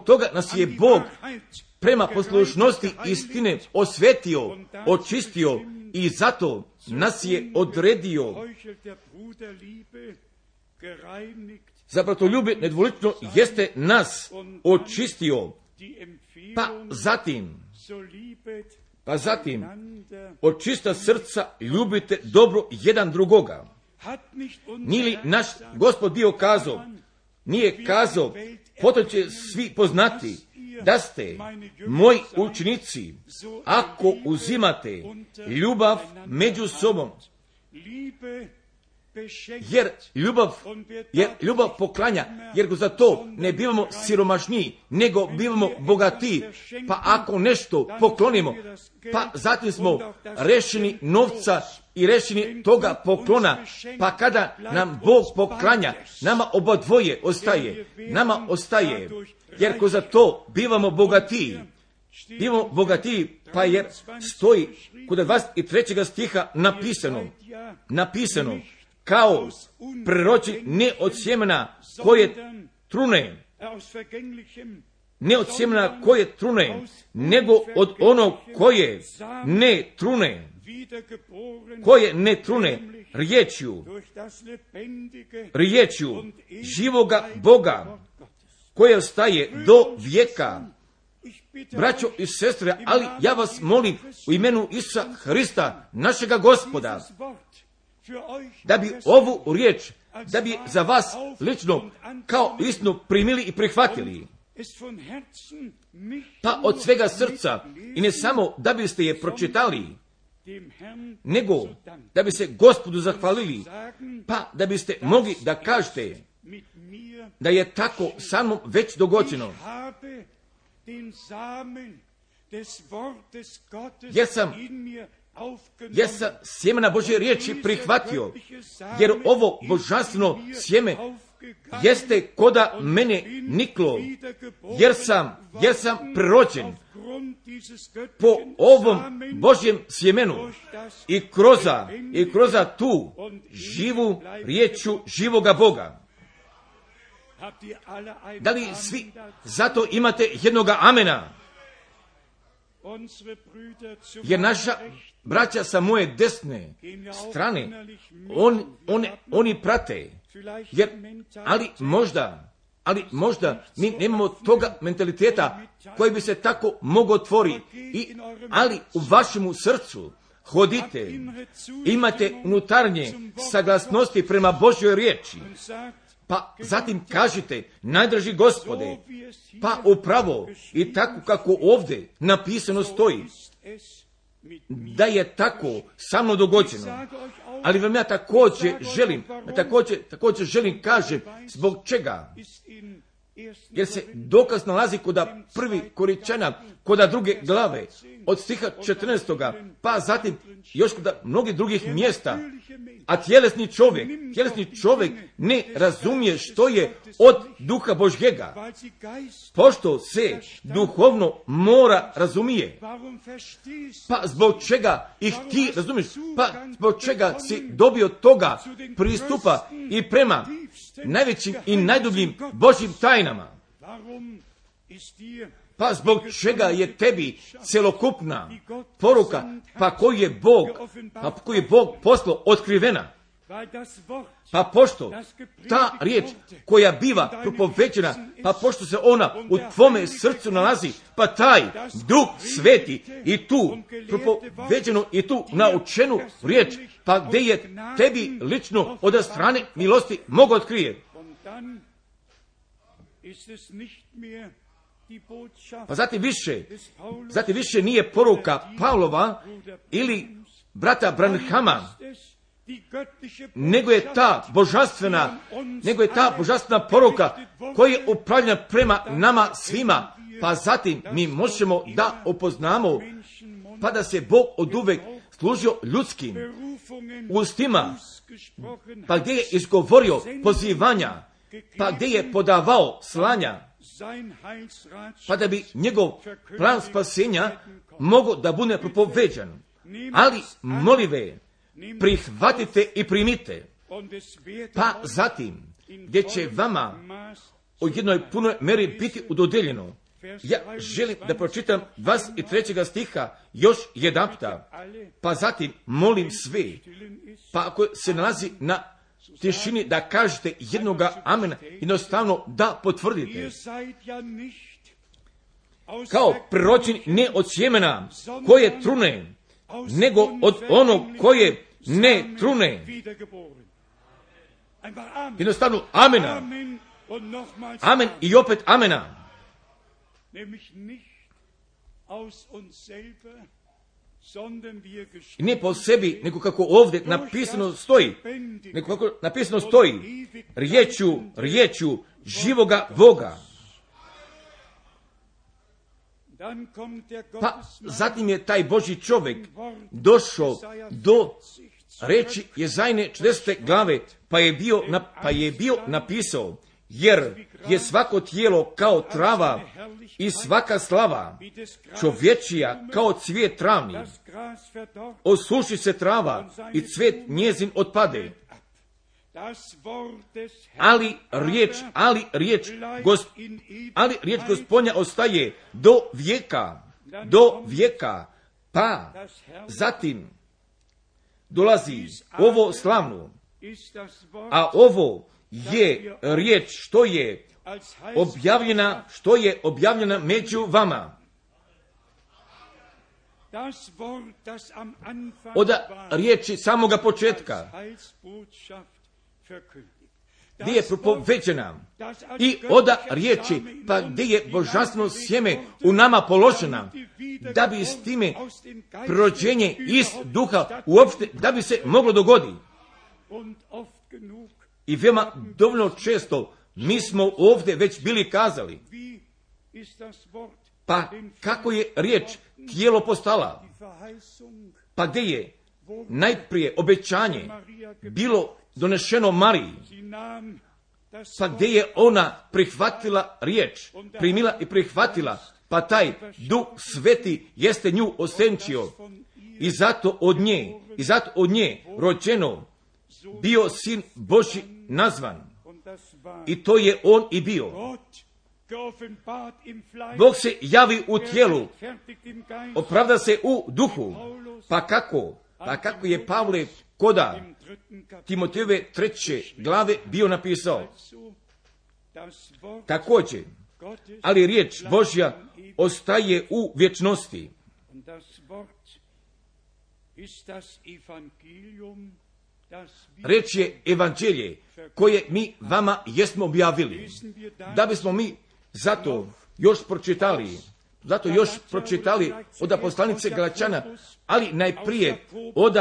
toga nas je Bog prema poslušnosti istine osvetio, očistio i zato nas je odredio. Za bratoljublje nedvolično jeste nas očistio, pa zatim od čista srca ljubite dobro jedan drugoga. Nije li naš Gospod bio kazao, nije kazao, potom će svi poznati da ste moji učenici ako uzimate ljubav među sobom. Jer ljubav poklanja, jer za to ne bivamo siromašniji, nego bivamo bogatiji. Pa ako nešto poklonimo, pa zatim smo rešeni novca i rešeni toga poklona, pa kada nam Bog poklanja, nama obadvoje ostaje, jer ko za to bivamo bogatiji, pa jer stoji kod 23. stiha napisano, kao prerođen ne od sjemena koje trune, ne od sjemena koje trune, nego od onog koje ne trune, koje ne trune, riječju živoga Boga, koje ostaje do vijeka. Braćo i sestre, ali ja vas molim u imenu Isusa Hrista, našega Gospoda, da bi ovu riječ, da bi za vas lično kao istinu primili i prihvatili. Pa od svega srca, i ne samo da biste je pročitali, nego da bi se Gospodu zahvalili, pa da biste mogli da kažete da je tako sa mnom već dogođeno. Jer sam sjemena Božje riječi prihvatio, jer ovo božanstveno sjeme jeste koda mene niklo, jer sam prerođen po ovom Božjem sjemenu i kroza tu živu riječu živoga Boga. Da li svi zato imate jednoga amena? Jer naša braća sa moje desne strane, oni prate. Ali možda mi nemamo toga mentaliteta koji bi se tako mogao otvoriti. Ali u vašemu srcu hodite, imate unutarnje saglasnosti prema Božjoj riječi. Pa zatim kažite, najdraži Gospode, pa upravo i tako kako ovdje napisano stoji, da je tako sa mnom dogođeno. Ali vam ja također želim kažem zbog čega. Jer se dokaz nalazi koda prvi Koričana, koda druge glave, od stiha 14. pa zatim još koda mnogih drugih mjesta. A tjelesni čovjek ne razumije što je od duha Božjega, pošto se duhovno mora razumije. Pa zbog čega ih ti razumiješ? Pa zbog čega si dobio toga pristupa i prema najvećim i najdubljim Božjim tajnama? Pa zbog čega je tebi celokupna poruka, pa koju je Bog poslao otkrivena? Pa pošto ta riječ koja biva propoveđena, pa pošto se ona u tvome srcu nalazi, pa taj Duh Sveti i tu propoveđenu i tu naučenu riječ, pa gdje je tebi lično od strane milosti mogu otkrije. Pa zatim više nije poruka Pavlova ili brata Branhama, nego je ta božanstvena poruka koja je upravljena prema nama svima. Pa zatim mi možemo da upoznamo, pa da se Bog oduvek služio ljudskim ustima, pa gdje je izgovorio pozivanja, pa gdje je podavao slanja, pa da bi njegov plan spasenja mogao da bude propoveđan. Ali molive, prihvatite i primite. Pa zatim, gdje će vama u jednoj punoj meri biti udodeljeno. Ja želim da pročitam 23. stiha još jedanputa. Pa zatim molim sve, pa ako se nalazi na tišini, da kažete jednoga amena, jednostavno da potvrdite. Kao prerođeni ne od sjemena koje trune, nego od onog koje ne trune. Jednostavno amena. Amen i opet amena. I ne po sebi, nego kako ovdje napisano stoji, riječu živoga Boga. Pa zatim je taj Božji čovjek došao do reči Jezajne 40. glave, pa je bio napisao, jer je svako tijelo kao trava i svaka slava čovječija kao cvijet travni. Osuši se trava i cvijet njezin otpade. ali riječ Gospodnja ostaje do vijeka, pa zatim dolazi ovo slavno, a ovo je riječ što je objavljena među vama. Od riječi samoga početka, gdje je propoveđena, i od riječi, pa gdje je božanstveno sjeme u nama položena, da bi s time prođenje iz duha uopšte, da bi se moglo dogoditi. I veoma dovoljno često mi smo ovdje već bili kazali, pa kako je riječ tijelo postala, pa gdje je najprije obećanje bilo donešeno Mariji, pa gdje je ona prihvatila riječ, primila i prihvatila, pa taj Duh Sveti jeste nju osenčio i zato od nje rođeno bio Sin Božji nazvan. I to je on i bio. Bog se javi u tijelu, opravda se u duhu. Pa kako je Pavle koda Timotejeve 3. glave bio napisao? Također, ali riječ Božja ostaje u vječnosti. Riječ je evanđelje koje mi vama jesmo objavili. Da bismo mi zato još pročitali od poslanice Galačana, ali najprije od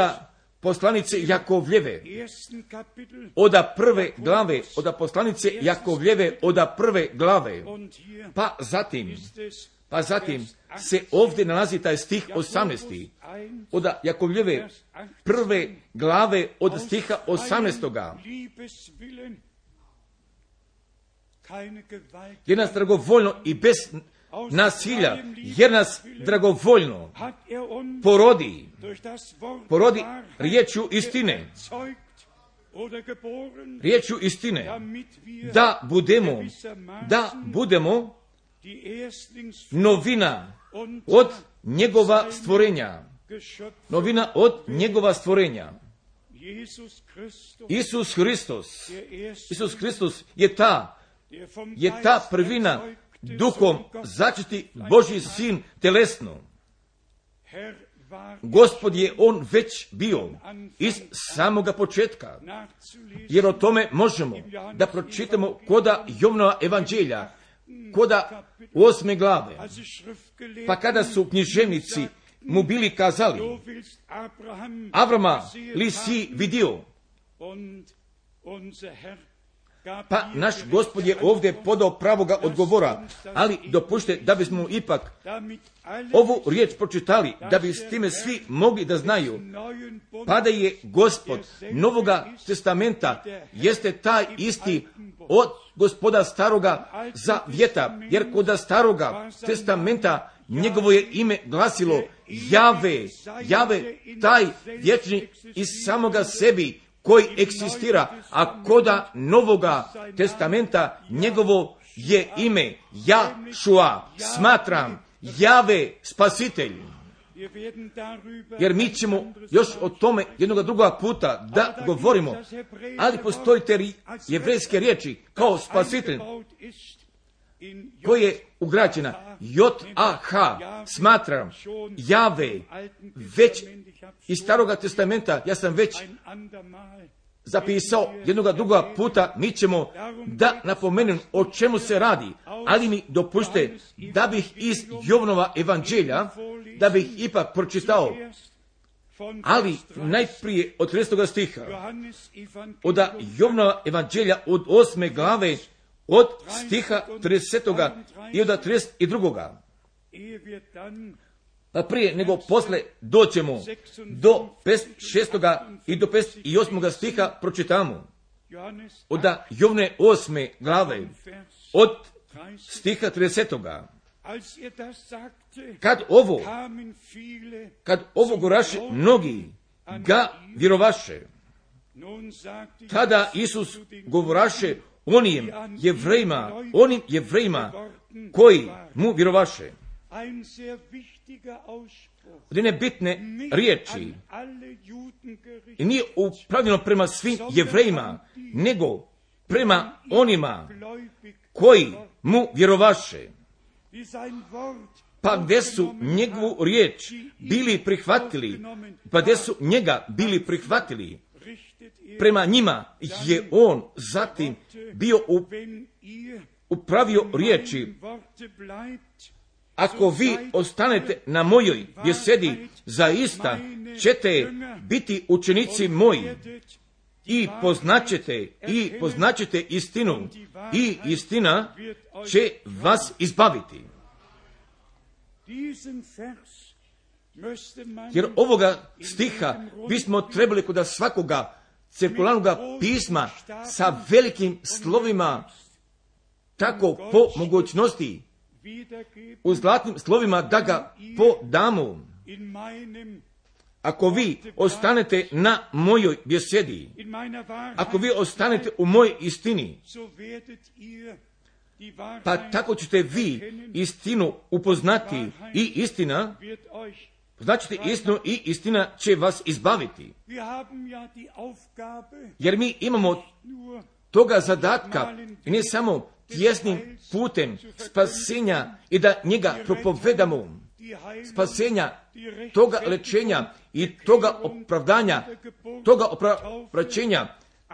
poslanice Jakovljeve, od poslanice Jakovljeve, od prve glave, pa zatim se ovdje nalazi taj stih 18. od Jakovljeve prve glave od stiha 18. Jer nas dragovoljno i bez nasilja, jer nas dragovoljno porodi riječju istine, da budemo novina od njegova stvorenja. Isus Hristos je ta prvina, duhom začeti Božji sin telesno. Gospod je on već bio iz samoga početka, jer o tome možemo da pročitamo koda Jovanova evanđelja, koda 8. glave. Pa kada su književnici mu bili kazali, Avrama li si vidio? Pa naš Gospod je ovdje podao pravoga odgovora, ali dopušte da bismo ipak ovu riječ pročitali, da bi s time svi mogli da znaju, pa da je Gospod Novoga testamenta jeste taj isti od Gospoda Staroga Zavjeta, jer kod Staroga testamenta njegovo je ime glasilo Jave, taj vječni iz samoga sebi koji eksistira, a koda Novoga testamenta njegovo je ime Jašua, smatram, Jave spasitelj. Jer mi ćemo još o tome jednoga drugoga puta da govorimo, ali postoji te jevrejske riječi kao spasitelj koje je ugrađena J-A-H, smatram, Jave, već iz Staroga testamenta, ja sam već zapisao jednoga drugoga puta, mi ćemo da napomenem o čemu se radi, ali mi dopušte da bih iz Jovanova evanđelja, da bih ipak pročitao, ali najprije od 30. stiha, od Jovanova evanđelja od 8. glave, od stiha 30. i od 32. Pa prije nego posle doćemo do 56. i do 58. stiha pročitamo. Od Jovne 8. glave, od stiha 30. Kad ovo goraše, mnogi ga vjerovaše. Tada Isus govoraše onim jevrejima koji mu vjerovaše. Jedne bitne riječi. I nije upravljeno prema svim jevrejima, nego prema onima koji mu vjerovaše. Pa gdje su njegovu riječ bili prihvatili, pa gdje su njega bili prihvatili, prema njima je on zatim bio upravio riječi. Ako vi ostanete na mojoj besedi, zaista ćete biti učenici moji i poznaćete istinu i istina će vas izbaviti. Jer ovoga stiha bismo trebali kod svakoga cirkularnog pisma sa velikim slovima, tako po mogućnosti, u zlatnim slovima da ga podamo. Ako vi ostanete na mojoj besedi, ako vi ostanete u mojoj istini, pa tako ćete vi istinu upoznati i istina, značite istinu i istina će vas izbaviti. Jer mi imamo toga zadatka i ne samo tjesnim putem spasenja i da njega propovedamo, spasenja, toga lečenja i toga opravdanja, toga opraćenja,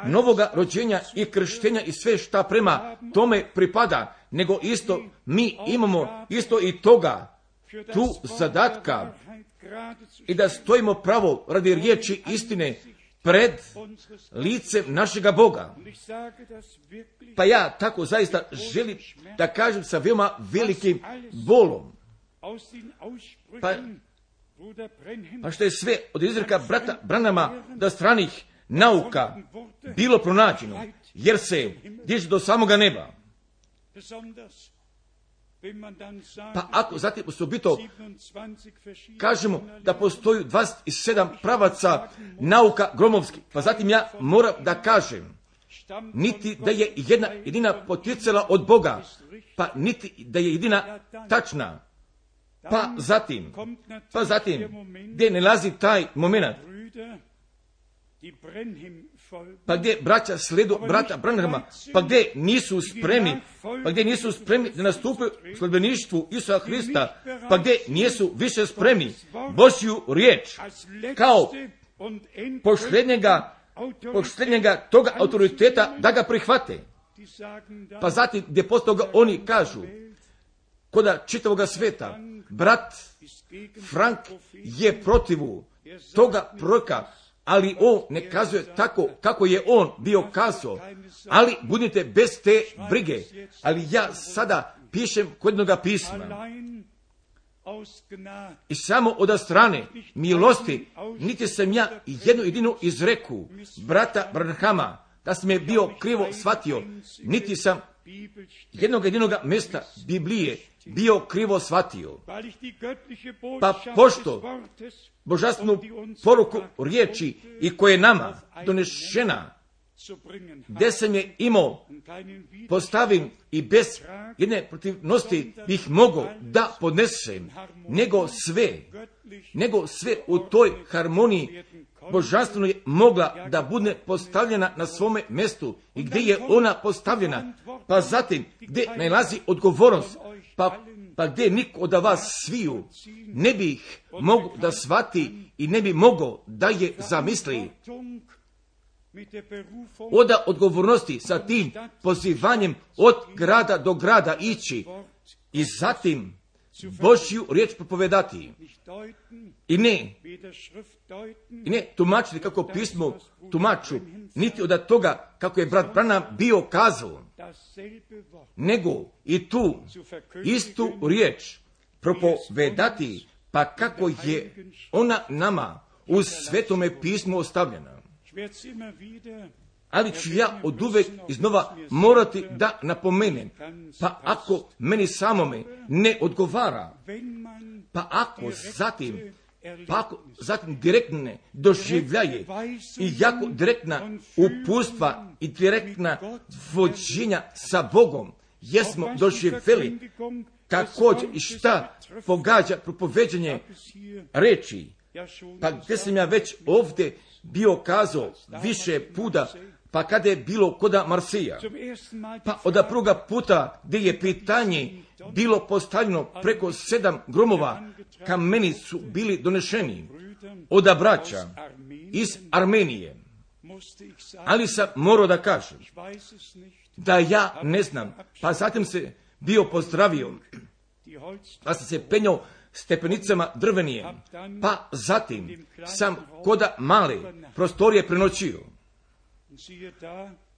novoga rođenja i krštenja i sve šta prema tome pripada, nego isto mi imamo isto i toga, tu zadatka i da stojimo pravo radi riječi istine pred licem našega Boga. Pa ja tako zaista želim da kažem sa veoma velikim bolom. Pa što je sve od izreka brata Branhama do stranih nauka bilo pronađeno, jer se diže do samoga neba. Pa ako zatim osobito kažemo da postoji 27 pravaca nauka gromovskih, pa zatim ja moram da kažem, niti da je jedna jedina poticala od Boga, pa niti da je jedina tačna. Pa zatim, gdje nalazi taj moment, pa gdje braća sledu brata Branhama, pa gdje nisu spremni da nastupe u sledbeništvu Isusa Hrista, pa gdje nisu više spremni Božju riječ kao posljednjega toga autoriteta da ga prihvate. Pa zatim gdje posto toga oni kažu, koda čitavoga sveta, brat Frank je protivu toga proroka, ali on ne kazuje tako kako je on bio kazao, ali budite bez te brige. Ali ja sada pišem kod jednoga pisma i samo od strane milosti, niti sam ja jednu jedinu izreku brata Branhama, da sam je bio krivo shvatio, niti sam jednog jedinog mjesta Biblije bio krivo shvatio. Pa pošto božanstvenu poruku riječi i koje je nama donešena, gdje sam je imao postavim i bez jedne protivnosti bih mogao da podnesem, nego sve u toj harmoniji božanstveno je mogla da bude postavljena na svome mjestu i gdje je ona postavljena, pa zatim gdje nalazi odgovornost, pa gdje niko od vas sviju ne bih mogao da shvati i ne bi mogao da je zamisli. Oda odgovornosti sa tim pozivanjem od grada do grada ići i zatim Božju riječ propovedati. I ne tumačiti kako pismo tumaču, niti od toga kako je brat Branham bio kazao, nego i tu istu riječ propovedati, pa kako je ona nama u Svetome pismu ostavljena. Ali ću ja oduvek iznova morati da napomenem, pa ako meni samome ne odgovara, pa ako zatim pa ako zatim direktne doživljaje i jako direktna upustva i direktna vođenja sa Bogom, jesmo doživjeli također i šta pogađa propoveđenje reči. Pa gdje sam ja već ovdje bio kazao više puta, pa kada je bilo koda Marsija, pa od prvoga puta gdje je pitanje bilo postavljeno preko 7 gromova, kameni su bili donešeni od braća iz Armenije. Ali sam morao da kažem da ja ne znam, pa zatim se bio pozdravio, pa sam se penjao stepenicama drvenije, pa zatim sam koda male prostorije prenoćio.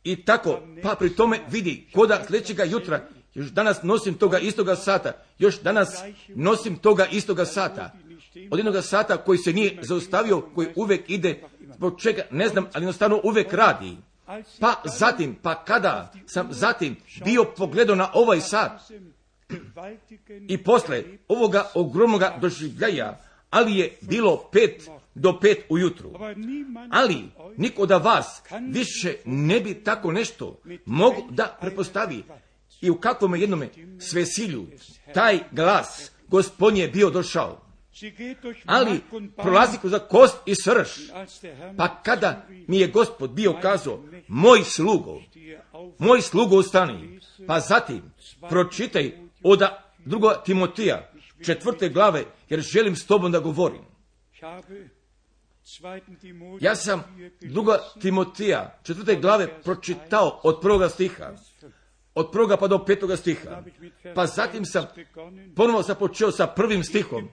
I tako, pa pri tome vidi, koda sljedećega jutra, još danas nosim toga istoga sata, još danas nosim toga istoga sata, od jednoga sata koji se nije zaustavio, koji uvijek ide, zbog čega ne znam, ali jednostavno uvijek radi. Pa zatim, pa kada sam zatim bio pogledao na ovaj sat, i posle ovoga ogromnoga doživljaja, ali je bilo 5 do 5 ujutru. Ali niko od vas više ne bi tako nešto mogu da prepostavi. I u kakvom jednome svesilju taj glas Gospodnji je bio došao. Ali prolazi kroz kost i srž. Pa kada mi je Gospod bio kazao, moj slugo ustani. Pa zatim pročitaj od 2. Timotija 4. glave, jer želim s tobom da govorim. Ja sam 2. Timotija 4. glave pročitao od 1. stiha. Od 1. pa do 5. stiha. Pa zatim sam ponovo započeo sa 1. stihom.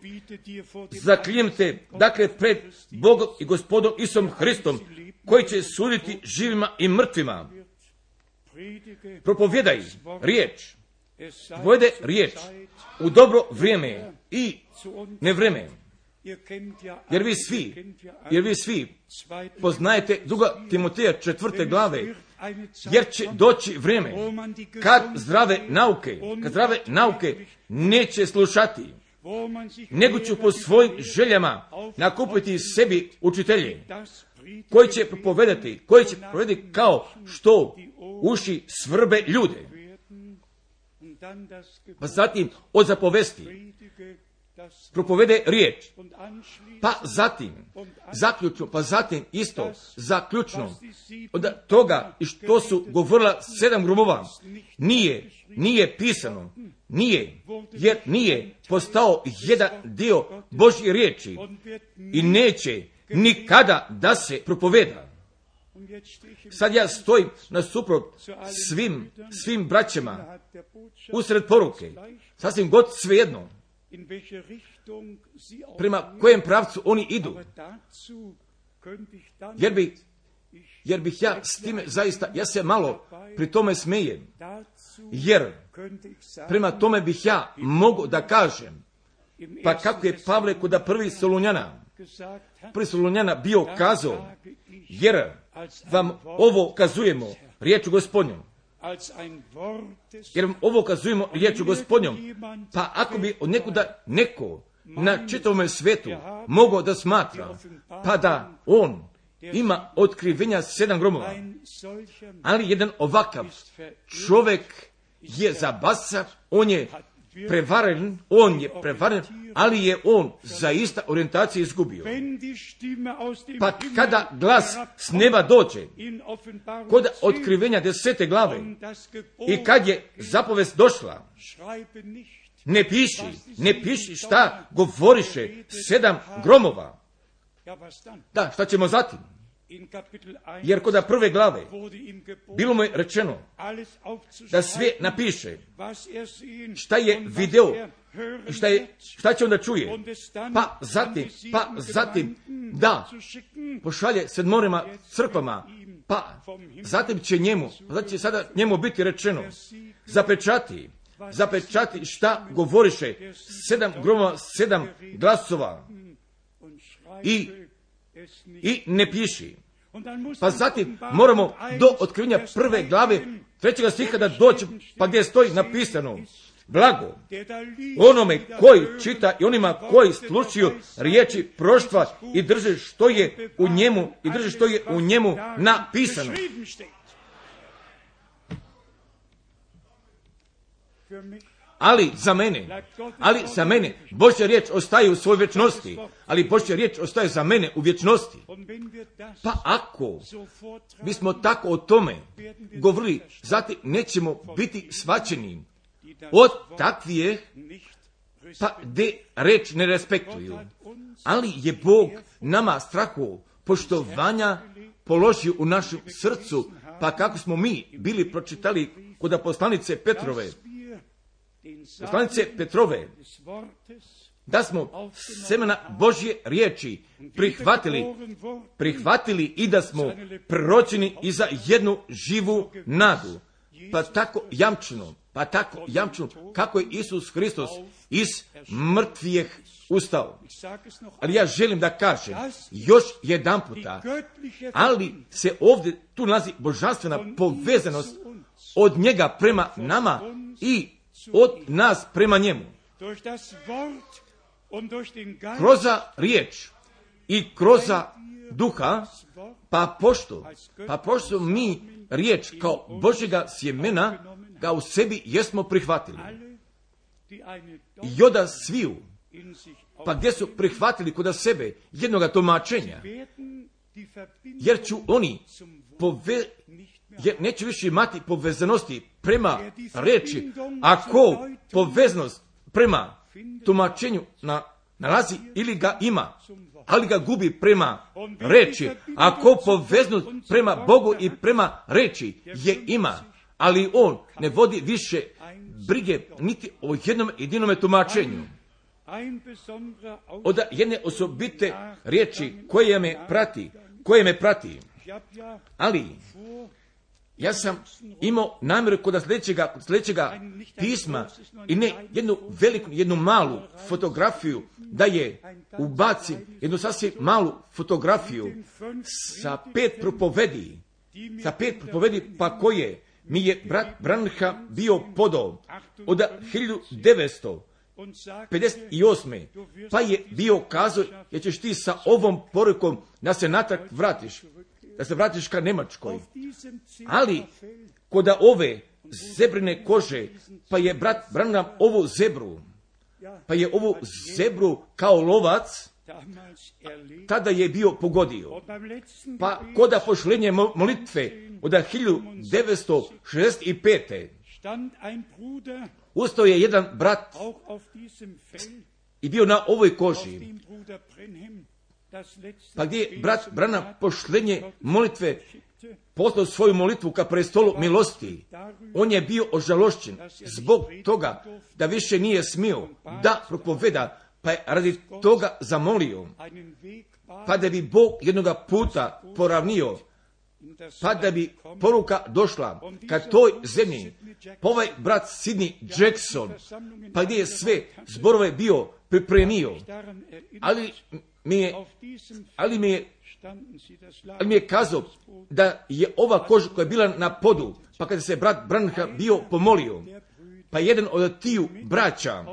Zaklinjem te, dakle, pred Bogom i Gospodom Isusom Hristom, koji će suditi živima i mrtvima. Propovjedaj riječ. Povede riječ u dobro vrijeme i nevrijeme. Jer vi svi poznajete 2. Timoteja 4. glave, jer će doći vrijeme kad zdrave nauke neće slušati, nego će po svojim željama nakupiti sebi učitelje, koji će propovedati kao što uši svrbe ljude. Pa zatim od zapovesti propovede riječ, pa zatim zaključno, pa zatim isto zaključno od toga i što su govorila 7 gromova nije pisano, jer nije postao jedan dio Božje riječi i neće nikada da se propoveda. Sad ja stojim nasuprot svim braćama usred poruke, sasvim god svejedno prema kojem pravcu oni idu, jer bih ja s time zaista, ja se malo pri tome smejem, jer prema tome bih ja mogu da kažem, pa kako je Pavle kod 1. Solunjana bio kazao, jer vam ovo kazujemo riječu Gospodnjom. Jer vam ovo kazujemo riječu Gospodnjom. Pa ako bi od nekuda neko na čitavom svijetu mogao da smatra, pa da on ima otkrivenja 7 gromova, ali jedan ovakav čovjek je zabasan, on je prevaren, ali je on zaista orijentaciju izgubio. Pa kada glas s neba dođe, kod otkrivenja 10. glave, i kad je zapovest došla, ne piši šta govoriše 7 gromova. Da, šta ćemo zatim? Jer kod 1. glave bilo mu je rečeno da sve napiše šta je video i šta će onda čuje. Pa zatim da pošalje 7 crkvama, pa zatim će sada njemu biti rečeno zapečati šta govoriše 7 gromova, 7 glasova i ne piši. Pa zatim moramo do otkrivenja 1. glave 3. stiha da doći, pa gdje stoji napisano, blago onome koji čita i onima koji slušaju riječi proštva i drže što je u njemu napisano. Ali za mene Božja riječ ostaje u svojoj vječnosti, ali Božja riječ ostaje za mene u vječnosti. Pa ako bismo tako o tome govorili, zatim nećemo biti shvaćeni od takvih, pa de reč ne respektuju. Ali je Bog nama strahu poštovanja položio u našem srcu, pa kako smo mi bili pročitali kod poslanice Petrove, da smo semena Božje riječi prihvatili i da smo proročeni i za jednu živu nadu. Pa tako jamčeno, kako je Isus Hristos iz mrtvih ustao. Ali ja želim da kažem još jedan puta, ali se ovdje tu nalazi božanstvena povezanost od njega prema nama i od nas prema njemu. Kroz riječ i kroz duha, pa pošto mi riječ kao Božjega sjemena ga u sebi jesmo prihvatili. I oda sviju, pa gdje su prihvatili kod sebe jednoga tumačenja, jer ću oni jer neće više imati povezanosti prema reči, ako poveznost prema tumačenju nalazi ili ga ima, ali ga gubi prema reči, ako poveznost prema Bogu i prema reči je ima, ali on ne vodi više brige niti o jednom jedinome tumačenju. Od jedne osobite riječi koje me prati, ali ja sam imao namjeru kod sljedećega pisma i ne jednu malu fotografiju, da je ubacim jednu sasvim malu fotografiju sa 5 propovedi, pa koje mi je brat Branham bio podao od 1958. Pa je bio kazao, jer ćeš ti sa ovom porukom da se natrag vratiš ka Njemačkoj. Ali kod ove zebrine kože, pa je brat Branham ovu zebru kao lovac tada je bio pogodio. Pa kod pošlenje molitve od 1965. ustao je jedan brat i bio na ovoj koži. Pa gdje je brat Branham pošlenje molitve poslao svoju molitvu ka prestolu milosti, on je bio ožalošćen zbog toga da više nije smio da propoveda, pa je radi toga zamolio, pa da bi Bog jednoga puta poravnio, pa da bi poruka došla ka toj zemlji. Pa ovaj brat Sidney Jackson, pa gdje je sve zborove bio pripremio, ali mi je kazao da je ova koža koja je bila na podu, pa kada se brat Branham bio pomolio, pa jedan od tiju braća,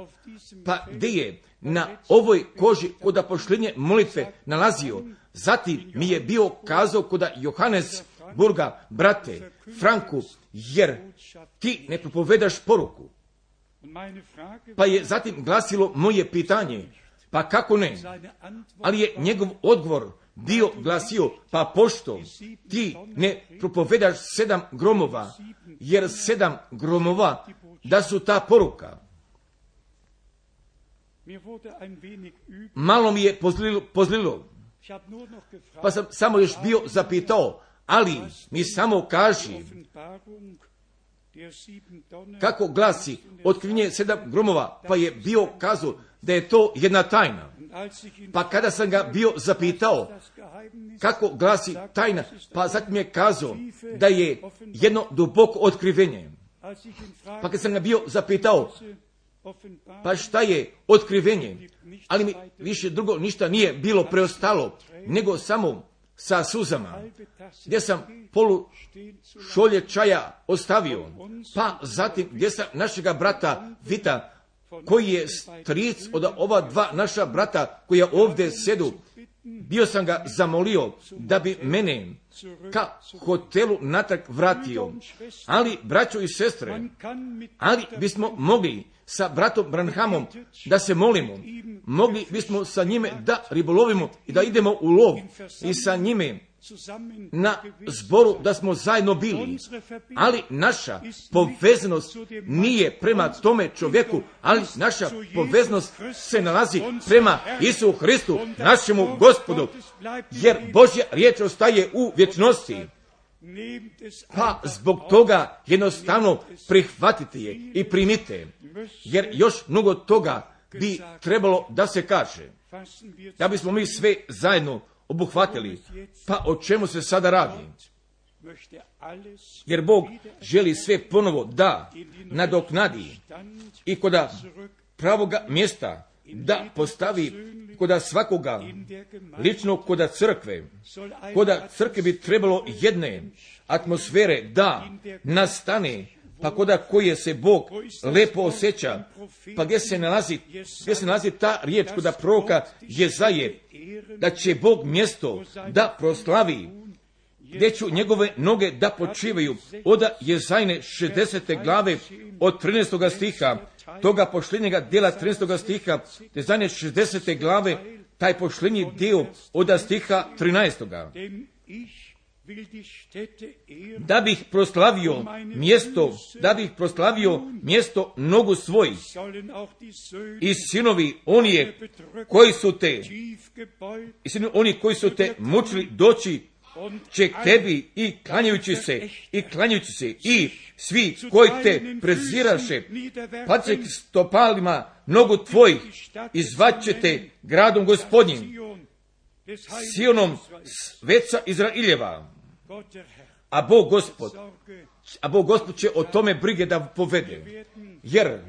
pa gdje je na ovoj koži kod pošlenje molitve nalazio, zatim mi je bio kazao kod Johannesburga, brate Franku, jer ti ne propovedaš poruku. Pa je zatim glasilo moje pitanje, pa kako ne? Ali je njegov odgovor bio glasio, pa pošto ti ne propovedaš 7 gromova, jer 7 gromova da su ta poruka. Malo mi je pozlilo, pa sam samo još bio zapitao, ali mi samo kaži kako glasi otkrivenje 7 gromova, pa je bio kazao da je to jedna tajna. Pa kada sam ga bio zapitao kako glasi tajna, pa zatim je kazao da je jedno duboko otkrivenje. Pa kad sam ga bio zapitao, pa šta je otkrivenje, ali mi više drugo ništa nije bilo preostalo, nego samo sa suzama, gdje sam polu šolje čaja ostavio, pa zatim gdje sam našega brata Vita, koji je stric od ova dva naša brata koja ovdje sjedu, bio sam ga zamolio da bi mene ka hotelu natrag vratio. Ali, braćo i sestre, ali bismo mogli sa bratom Branhamom da se molimo, mogli bismo sa njime da ribolovimo i da idemo u lov i sa njime na zboru da smo zajedno bili, ali naša povezanost nije prema tome čovjeku, ali naša povezanost se nalazi prema Isu Hristu, našemu Gospodu, jer Božja riječ ostaje u vječnosti. Pa zbog toga jednostavno prihvatite je i primite, jer još mnogo toga bi trebalo da se kaže, da bismo mi sve zajedno obuhvatili. Pa o čemu se sada radi? Jer Bog želi sve ponovo da nadoknadi i koda pravoga mjesta da postavi koda svakoga lično koda crkve. Koda crkve bi trebalo jedne atmosfere da nastane, pa koda koje se Bog lepo osjeća, pa gdje se nalazi ta riječ koda proroka Jezaje, da će Bog mjesto da proslavi, gdje ću njegove noge da počivaju, od Jezajne 60. glave od 13. stiha, toga pošljenjega dijela 13. stiha, Jezajne 60. glave, taj pošljenji dio od stiha 13. Da bih proslavio mjesto nogu svojih i sinovi oni koji su te mučili doći će k tebi i klanjajući se i svi koji te preziraše pad će k stopalima nogu tvojih i zvaćete gradom Gospodnjim, Sionom sveca Izraeljeva. A Bog Gospod će o tome brige da povede, jer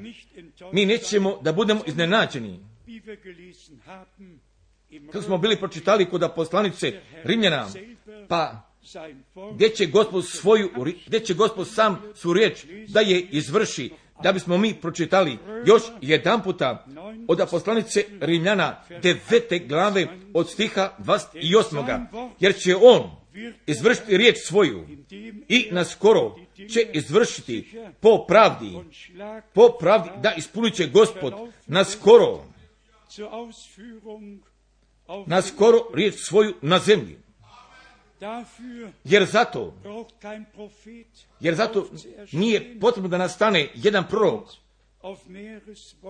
mi nećemo da budemo iznenađeni. Kako smo bili pročitali kod poslanice Rimljana, pa gdje će Gospod sam svu riječ da je izvrši, da bismo mi pročitali još jedan puta od poslanice Rimljana 9. glave od stiha 28. Jer će on izvršiti riječ svoju i naskoro će izvršiti po pravdi, da ispunit će Gospod naskoro riječ svoju na zemlji. Jer zato nije potrebno da nastane jedan prorok,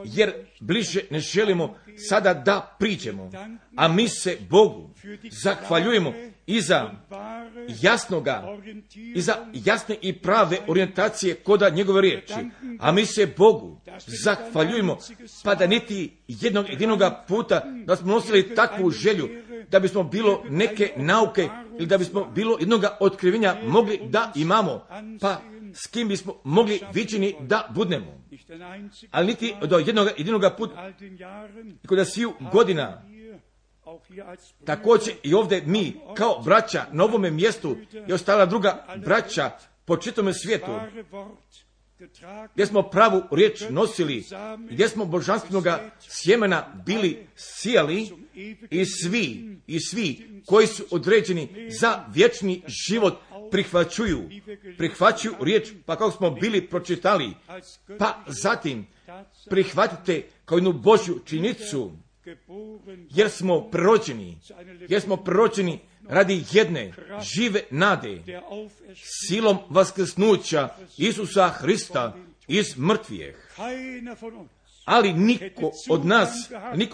jer bliže ne želimo sada da priđemo, a mi se Bogu zahvaljujemo i za jasne i prave orijentacije koda njegove riječi, a mi se Bogu zahvaljujemo, pa da niti jednog jedinoga puta da smo nosili takvu želju, da bismo bilo neke nauke ili da bismo bilo jednoga otkrivenja mogli da imamo, pa s kim bismo mogli viđeni da budnemo. Ali niti do jedinoga puta, kod sviju godina, također i ovdje mi kao braća na ovome mjestu i ostala druga braća po čitome svijetu, gdje smo pravu riječ nosili, gdje smo božanstvenoga sjemena bili sijali i svi koji su određeni za vječni život prihvaćuju riječ, pa kako smo bili pročitali, pa zatim prihvatite kao jednu Božju činjenicu, jer smo proročeni radi jedne žive nade, silom vaskrsnuća Isusa Hrista iz mrtvijeh. Ali niko od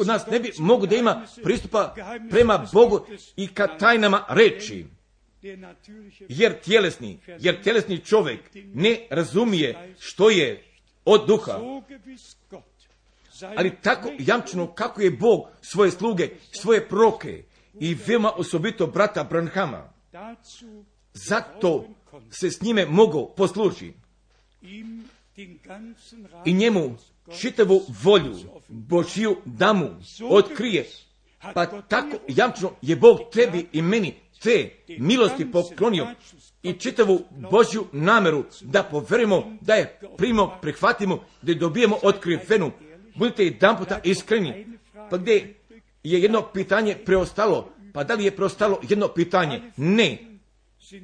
nas ne bi mogu da ima pristupa prema Bogu i ka tajnama reči, jer tjelesni čovjek ne razumije što je od duha. Ali tako jamčeno kako je Bog svoje sluge, svoje proroke i veoma osobito brata Branhama, zato se s njime mogu poslužiti i njemu čitavu volju Božju da mu otkrije. Pa tako jamčeno je Bog tebi i meni te milosti poklonio i čitavu Božju nameru da poverimo, da je primimo, prihvatimo, da je dobijemo otkrivenu. Budite jedan puta iskreni. Pa gdje je jedno pitanje preostalo? Pa da li je preostalo jedno pitanje? Ne.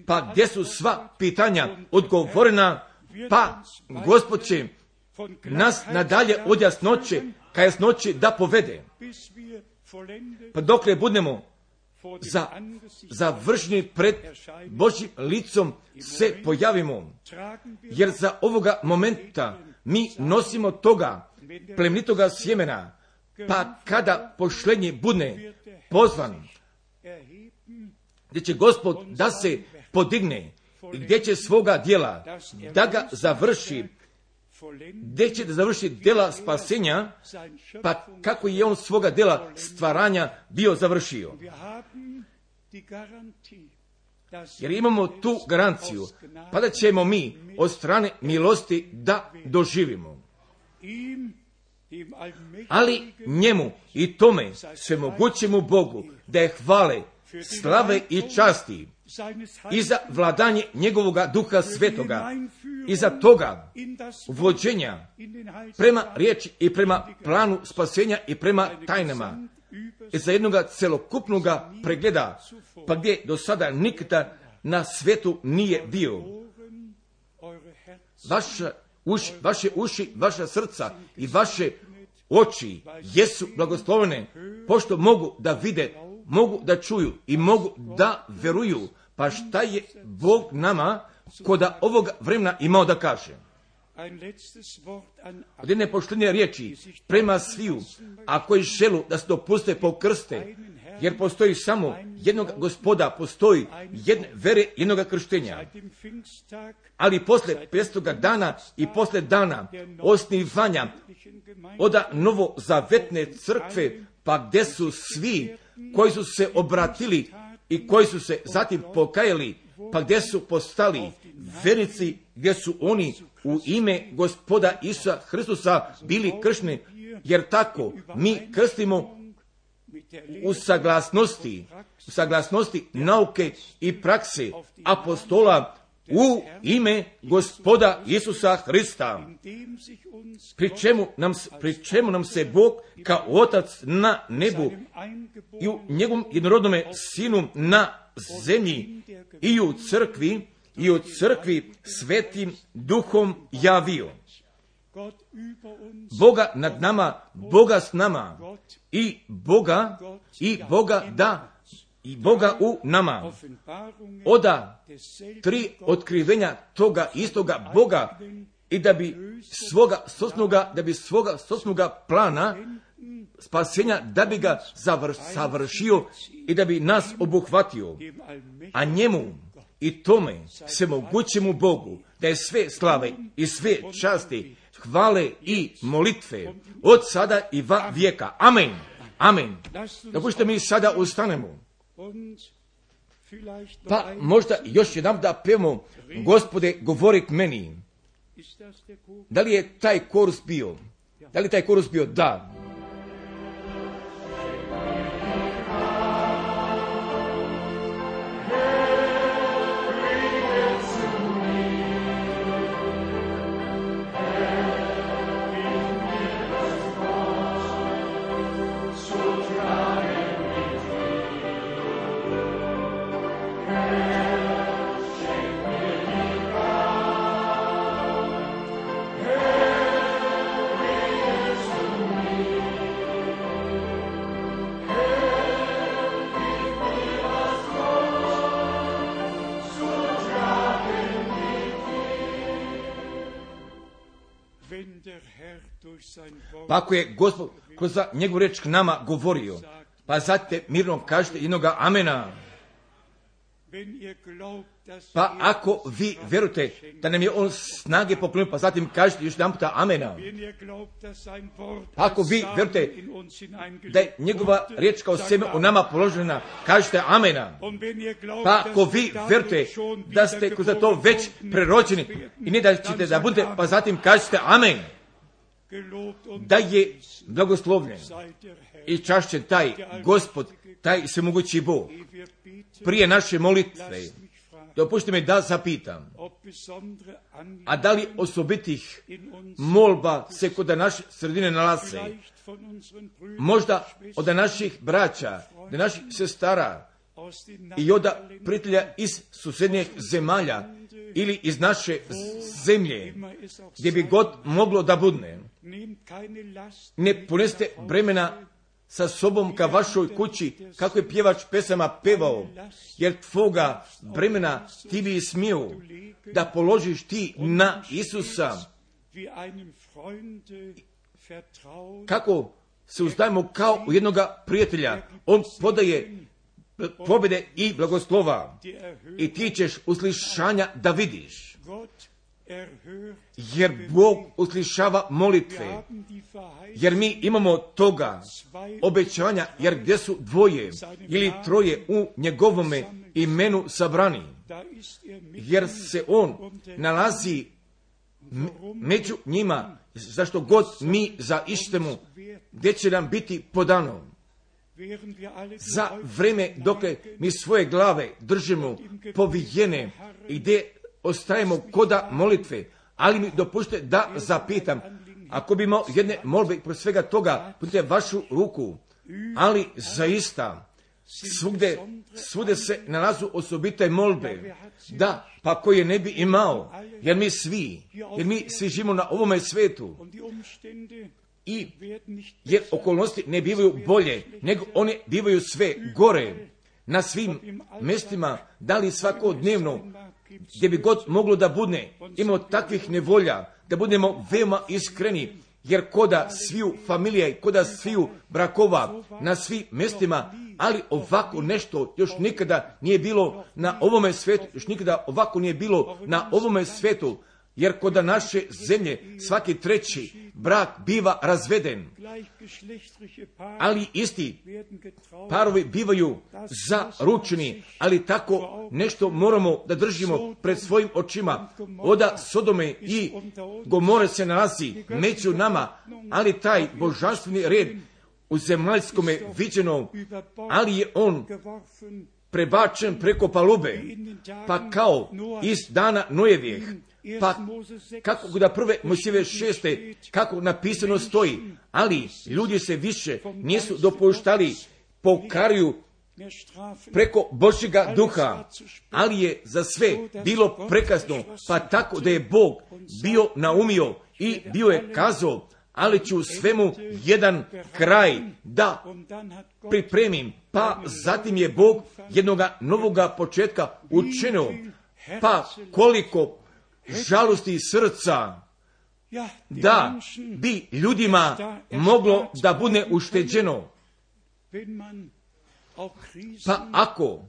Pa gdje su sva pitanja odgovorena? Pa Gospod će nas nadalje od jasnoće ka jasnoći da povede. Pa dokle budemo završeni pred Božjim licom se pojavimo. Jer za ovoga momenta mi nosimo toga plemenitoga sjemena. Pa kada pošlenji bude pozvan, gdje će Gospod da se podigne, gdje će svoga djela da ga završi, gdje će da završi djela spasenja, pa kako je on svoga djela stvaranja bio završio. Jer imamo tu garanciju, pa da ćemo mi od strane milosti da doživimo. Ali njemu i tome svemogućemu Bogu da je hvale, slave i časti i za vladanje njegovoga Duha Svetoga i za toga vođenja prema riječi i prema planu spasenja i prema tajnama i za jednoga celokupnog pregleda, pa gdje do sada nikada na svijetu nije bio. Vaše uši, vaša srca i vaše oči jesu blagoslovene, pošto mogu da vide, mogu da čuju i mogu da veruju. Pa šta je Bog nama koda ovog vremena imao da kaže? Od jedne poštenije riječi prema sviju, a koji želu da se dopuste pokrste, jer postoji samo jednog Gospoda, postoji jedne vere, jednog krštenja. Ali posle 500 dana i posle dana osnivanja oda novozavetne crkve, pa gdje su svi koji su se obratili i koji su se zatim pokajali, pa gdje su postali vernici, gdje su oni u ime Gospoda Isusa Hristusa bili kršteni, jer tako mi krstimo u saglasnosti nauke i prakse apostola u ime Gospoda Isusa Hrista, pri čemu nam se Bog kao Otac na nebu i u njegovom jednorodnome Sinu na zemlji i u crkvi svetim Duhom javio. Boga nad nama, Boga s nama i Boga u nama. Oda 3 otkrivenja toga istoga Boga i da bi svoga sosnoga plana spasenja, da bi ga savršio i da bi nas obuhvatio. A njemu i tome svemogućemu Bogu da je sve slave i sve časti, hvale i molitve od sada i va vijeka. Amen. Amen. Dopustite mi sada ustanemo. Pa možda još jedan da pevamo Gospode govori k meni. Da li je taj korus bio? Da li taj korus bio? Da. Pa ako je Gospod kroz njegovu riječ k nama govorio, pa zatim mirno kažete jednoga amena. Pa ako vi vjerujete da nam je on snage poklonio, pa zatim kažete još jedan puta amena. Pa ako vi vjerujete da je njegova riječ kao sjeme u nama položena, kažete amena. Pa ako vi vjerujete da ste kroz to već prerođeni i ne da ćete da budete, pa zatim kažete amen. Da je blagoslovljen i čašćen taj Gospod, taj svemogući Bog. prije naše molitve, dopustite mi da zapitam, a da li osobitih molba se kod naše sredine nalaze? Možda od naših braća, od naših sestara i od prijatelja iz susjednjih zemalja ili iz naše zemlje, gdje bi god moglo da budne. Ne ponesite bremena sa sobom ka vašoj kući, kako je pjevač pesama pevao, jer tvoga bremena ti bi smio da položiš ti na Isusa. Kako se uzdajemo kao u jednoga prijatelja, on podaje pobjede i blagoslova i ti ćeš uslišanja da vidiš. Jer Bog uslišava molitve, jer mi imamo toga obećanja, jer gdje su dvoje ili troje u njegovome imenu sabrani, jer se on nalazi među njima, zašto god mi zaištemo, gdje će nam biti podano. Za vreme dok mi svoje glave držimo povijene i gdje ostajemo koda molitve, ali mi dopustite da zapitam, ako bi imao jedne molbe pro svega toga, putite vašu ruku, ali zaista svude se nalazu osobite molbe, da, pa koje ne bi imao, jer mi svi živimo na ovome svetu, i jer okolnosti ne bivaju bolje, nego one bivaju sve gore, na svim mjestima, da li svakodnevno, gdje bi god moglo da budne, imamo takvih nevolja, da budemo veoma iskreni, jer koda sviju familije, koda sviju brakova, na svim mjestima, ali ovako nešto još nikada nije bilo na ovome svijetu, još nikada ovako nije bilo na ovome svijetu, jer kod naše zemlje svaki treći brak biva razveden, ali isti parovi bivaju zaručeni, ali tako nešto moramo da držimo pred svojim očima. Oda Sodome i Gomore se nalazi među nama, ali taj božanstveni red u zemaljskome viđeno, ali je on prebačen preko palube, pa kao iz dana Nojevijeh, pa kako da prve Mojsijeve 6. kako napisano stoji, ali ljudi se više nisu dopuštali pokaruju preko Božjega duha, ali je za sve bilo prekasno, pa tako da je Bog bio naumio i bio je kazao, ali ću svemu jedan kraj da pripremim, pa zatim je Bog jednoga novoga početka učinio, pa koliko žalosti srca da bi ljudima moglo da bude ušteđeno. Pa ako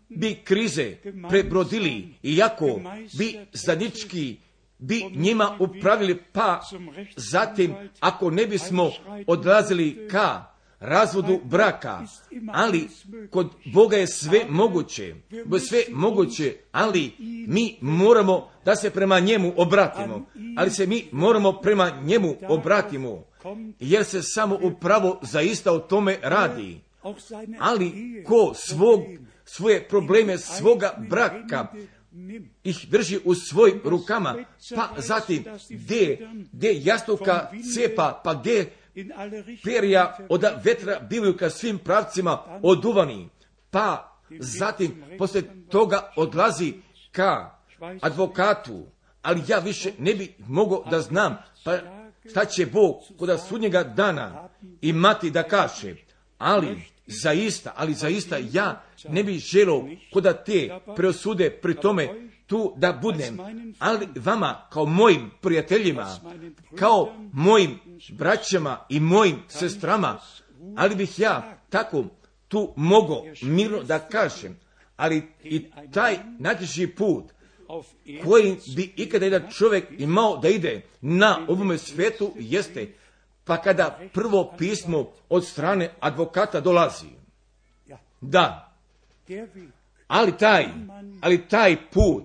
bi krize prebrodili i ako bi zajednički bi njima upravili, pa zatim ako ne bismo odlazili ka razvodu braka, ali kod Boga je sve moguće, ali mi moramo da se prema njemu obratimo, jer se samo upravo zaista o tome radi. Ali ko svoje probleme svoga braka ih drži u svojim rukama, pa zatim gdje jastuka cepa, pa gdje perja od vetra bivaju ka svim pravcima oduvani, pa zatim poslije toga odlazi ka advokatu, ali ja više ne bi mogao da znam, pa šta će Bog kod sudnjega dana imati da kaže, ali zaista ja ne bih želio kod te preosude pri tome tu da budem, ali vama kao mojim prijateljima, kao mojim braćama i mojim sestrama, ali bih ja tako tu mogao mirno da kažem, ali i taj najteži put koji bi ikada jedan čovjek imao da ide na ovome svijetu jeste, pa kada prvo pismo od strane advokata dolazi. Da, ali taj put,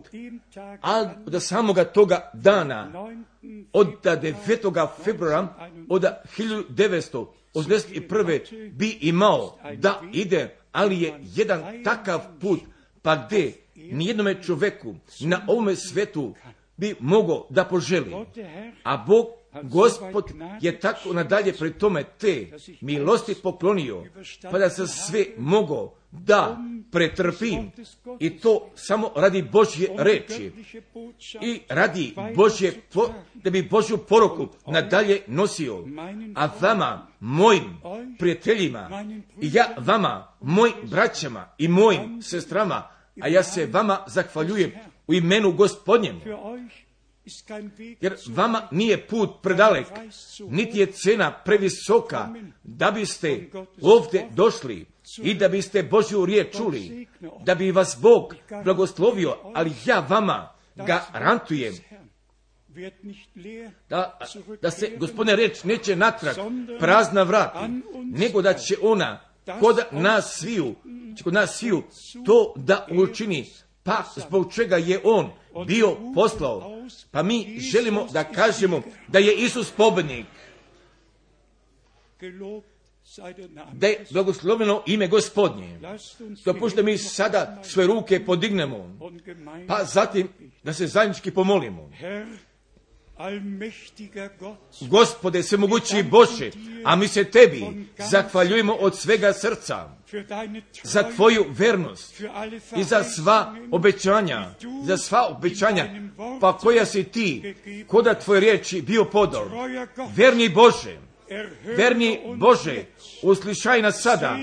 od samoga toga dana, od 9. februara, od 1981. bi imao da ide, ali je jedan takav put, pa gdje nijednome čovjeku na ovome svetu bi mogao da poželi. A Bog, Gospod, je tako nadalje pri tome te milosti poklonio, pa da se sve mogao da pretrpim, i to samo radi Božje reči i radi da bi Božju poruku nadalje nosio. A vama, mojim prijateljima, i ja vama, mojim braćama i mojim sestrama, a ja se vama zahvaljujem u imenu Gospodnjem, jer vama nije put predalek, niti je cena previsoka da biste ovdje došli i da biste Božju riječ čuli, da bi vas Bog blagoslovio, ali ja vama garantujem da se, Gospodine, riječ neće natrag prazna vrati, nego da će ona kod nas sviju to da učini, pa zbog čega je on bio poslao. Pa mi želimo da kažemo da je Isus pobjednik, da je blagosloveno ime Gospodnje. Dopušte mi sada svoje ruke podignemo, pa zatim da se zajednički pomolimo. Gospode, svemogući Bože, a mi se tebi zahvaljujemo od svega srca za tvoju vernost i za sva obećanja, pa koja si ti, koda tvoje riječi bio podor. Verni Bože, uslišaj nas sada,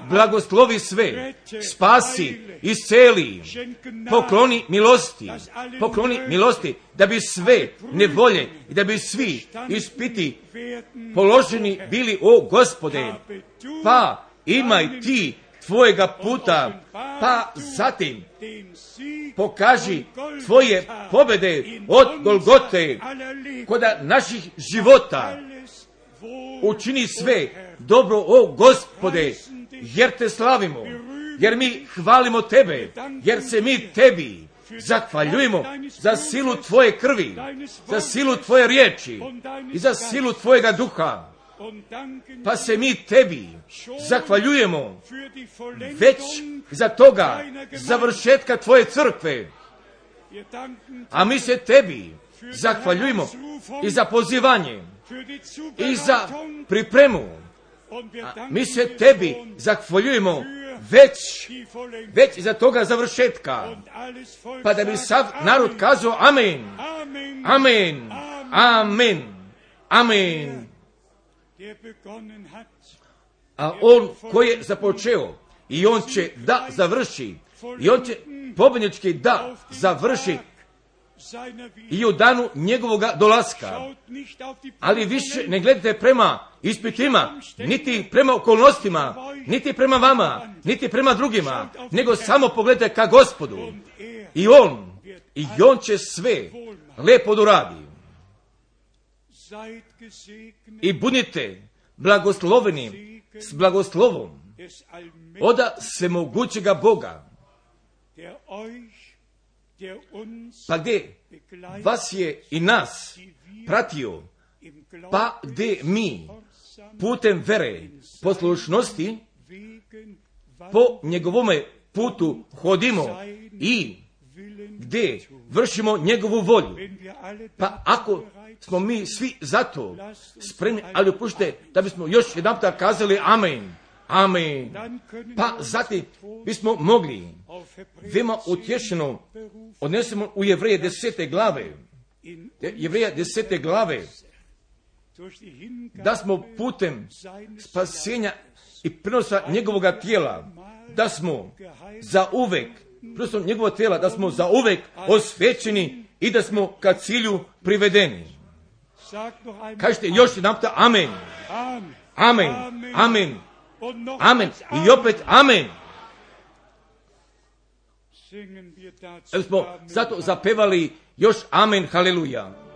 blagoslovi sve, spasi, isceli, pokloni milosti, da bi sve nevolje i da bi svi ispiti položeni bili, o Gospode, pa imaj ti tvojega puta, pa zatim pokaži tvoje pobjede od Golgote koda naših života. Učini sve dobro, o Gospode, jer te slavimo, jer mi hvalimo tebe, jer se mi tebi zahvaljujemo za silu tvoje krvi, za silu tvoje riječi i za silu tvojega duha. Pa se mi tebi zahvaljujemo već za toga završetka tvoje crkve. A mi se tebi zahvaljujemo i za pozivanje i za pripremu. A mi se tebi zahvaljujemo već za toga završetka. Pa da bi sav narod kazao amen, amen, amen, amen. A on koji je započeo, i on će da završi, i on će pobjednički da završi i u danu njegovoga dolaska. Ali više ne gledajte prema ispitima, niti prema okolnostima, niti prema vama, niti prema drugima, nego samo pogledajte ka Gospodu. I on će sve lepo doradi. I budite blagosloveni s blagoslovom oda svemogućega Boga, pa gdje vas je i nas pratio, pa gdje mi putem vere, poslušnosti po njegovome putu hodimo i gdje vršimo njegovu volju. Pa ako smo mi svi zato spremni, ali opušte da bismo još jedanputa kazali amen, amen, pa zatim bismo mogli veoma utješeno odnesemo u Jevreje 10. glave, Jevreja 10. glave, da smo putem spasenja i prenosa njegovoga tijela, da smo za uvek, prenosom njegovog tijela, da smo za uvek osvećeni i da smo ka cilju privedeni. Kažete još jedan puta amen, amen, amen, amen i opet amen. Da smo zato zapevali još amen, haleluja.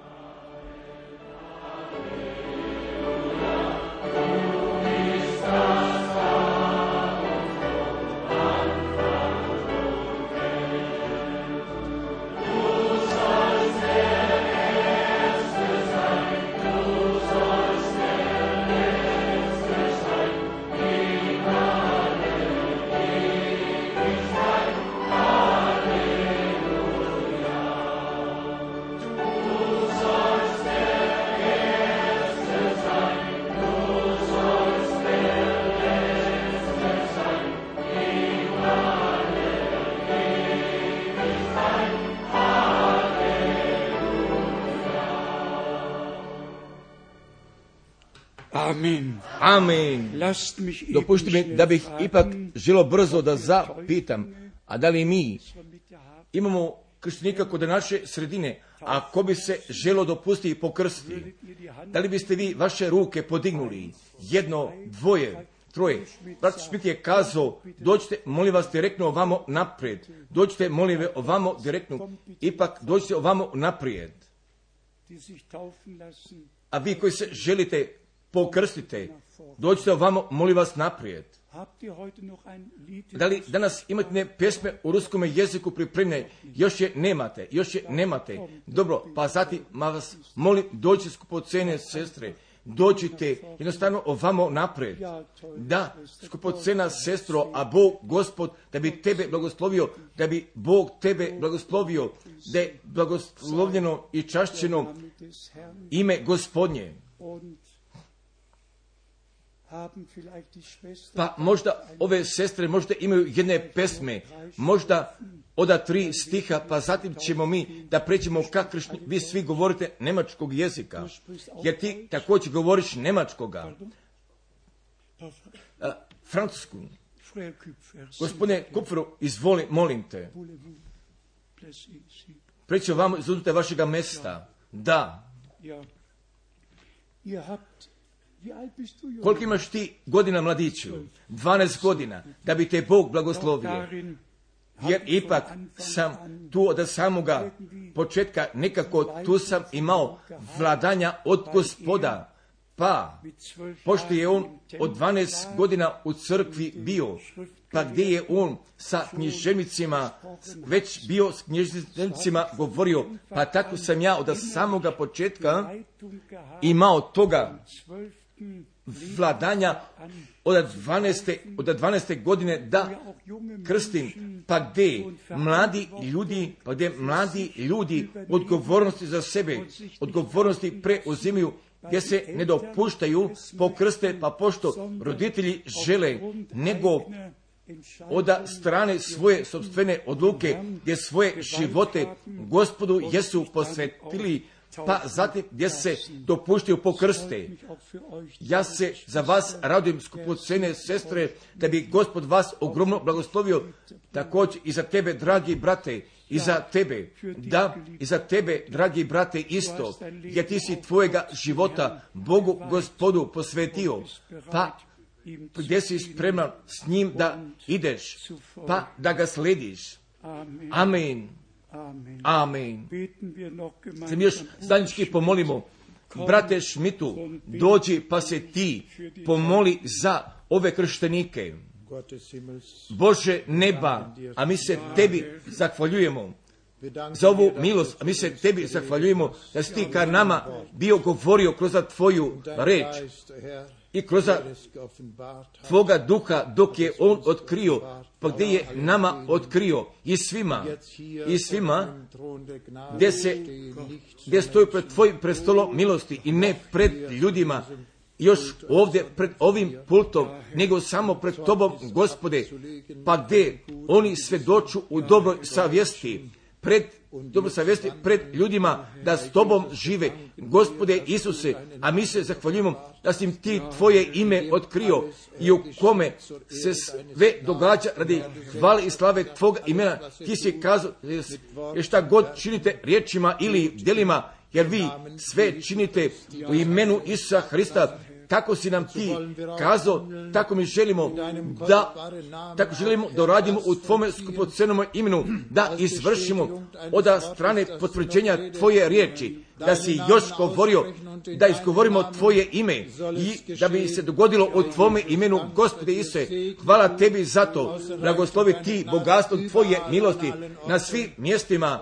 Amen. Amen. Lasst mich eben Dopušti mi schnell da bih fragen, ipak želo brzo da zapitam, a da li mi imamo krštenika kod naše sredine, a ko bi se želo dopustiti i pokrstiti, da li biste vi vaše ruke podignuli, jedno, dvoje, troje? Brat Schmidt je kazao, dođite, molim vas, direktno ovamo naprijed. Dođite, molim vas, ovamo direktno. Ipak, dođite ovamo naprijed. A vi koji se želite pokrstite, dođite ovamo, molim vas, naprijed. Da li danas imate pjesme u ruskom jeziku pripremljene? Još je nemate. Dobro, pa zatim vas molim, dođite skupocene sestre. Dođite jednostavno ovamo naprijed. Da, skupocena sestro, a Bog, Gospod, da bi tebe blagoslovio, da bi Bog tebe blagoslovio, da je blagoslovljeno i čašćeno ime Gospodnje. Pa možda ove sestre možda imaju jedne pesme, možda od 3 stiha, pa zatim ćemo mi da pređemo ka kršćani. Vi svi govorite nemačkog jezika, jer ti također govoriš nemačkoga. Francusku. Gospodine Kupferu, izvoli, molim te. Pređite vam, izuzmite vašega mesta. Da. Koliko imaš ti godina, mladiću? 12 godina, da bi te Bog blagoslovio. Jer ipak sam tu od samoga početka, nekako tu sam imao vladanja od Gospoda. Pa, pošto je on od 12 godina u crkvi bio, pa gdje je on sa književnicima, već bio s književnicima govorio, pa tako sam ja od samoga početka imao toga vladanja od 12. godine da krstim, pa gdje mladi ljudi odgovornosti za sebe, odgovornosti preuzimaju, gdje se ne dopuštaju pokrste, pa pošto roditelji žele, nego od strane svoje sopstvene odluke, gdje svoje živote Gospodu jesu posvetili, pa zatim gdje se dopuštaju pokrste. Ja se za vas radujem, skupocene sestre, da bi Gospod vas ogromno blagoslovio, također i za tebe, dragi brate, i za tebe, da, i za tebe, dragi brate, isto, jer ti si tvojega života Bogu Gospodu posvetio, pa gdje si spreman s njim da ideš, pa da ga slediš. Amen. Amen. Se mi još zajednički pomolimo. Brate Šmitu, dođi pa se ti pomoli za ove krštenike. Bože neba, a mi se tebi zahvaljujemo za ovu milost, a mi se tebi zahvaljujemo da si ti ka nama bio govorio kroz tvoju reč i kroz tvoga duha dok je on otkrio, pa gdje je nama otkrio i svima gdje stoji pred tvojim prestolom milosti i ne pred ljudima, još ovdje pred ovim pultom, nego samo pred tobom, Gospode, pa gdje oni svjedoču u dobroj savjesti, pred ljudima da s tobom žive, Gospode Isuse, a mi se zahvaljujemo da si im ti tvoje ime otkrio i u kome se sve događa radi hvale i slave tvoga imena. Ti si kazao, jer šta god činite riječima ili djelima, jer vi sve činite u imenu Isusa Hrista, kako si nam ti kazao, tako mi želimo da radimo u tvome skupocenom imenu, da izvršimo od strane potvrđenja tvoje riječi, da si još govorio, da izgovorimo tvoje ime i da bi se dogodilo u tvome imenu, Gospode Isuse. Hvala tebi za to, blagoslovi ti bogatstvo tvoje milosti na svim mjestima.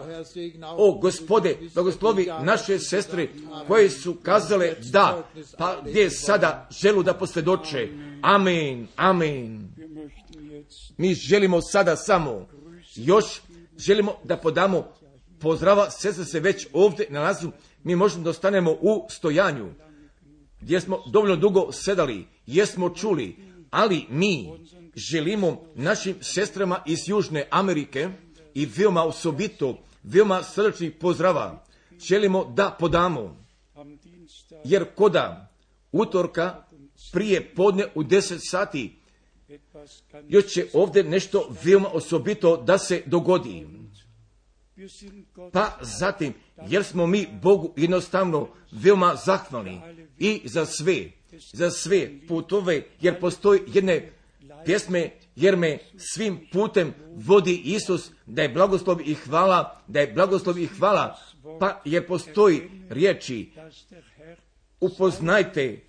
O Gospode, blagoslovi naše sestre koje su kazale da, pa gdje sada želu da posvjedoče. Amen, amen. Mi želimo sada samo, još želimo da podamo pozdrava, sestre se već ovdje nalazu, mi možemo da ostanemo u stojanju, gdje smo dovoljno dugo sedali, jesmo čuli, ali mi želimo našim sestrama iz Južne Amerike i veoma osobito, veoma srdačnih pozdrava, želimo da podamo, jer koda utorka prije podne u 10 sati. Još će ovdje nešto veoma osobito da se dogodi. Pa zatim, jer smo mi Bogu jednostavno veoma zahvalni i za sve putove, jer postoji jedne pjesme, jer me svim putem vodi Isus, da je blagoslov i hvala, pa jer postoji riječi, upoznajte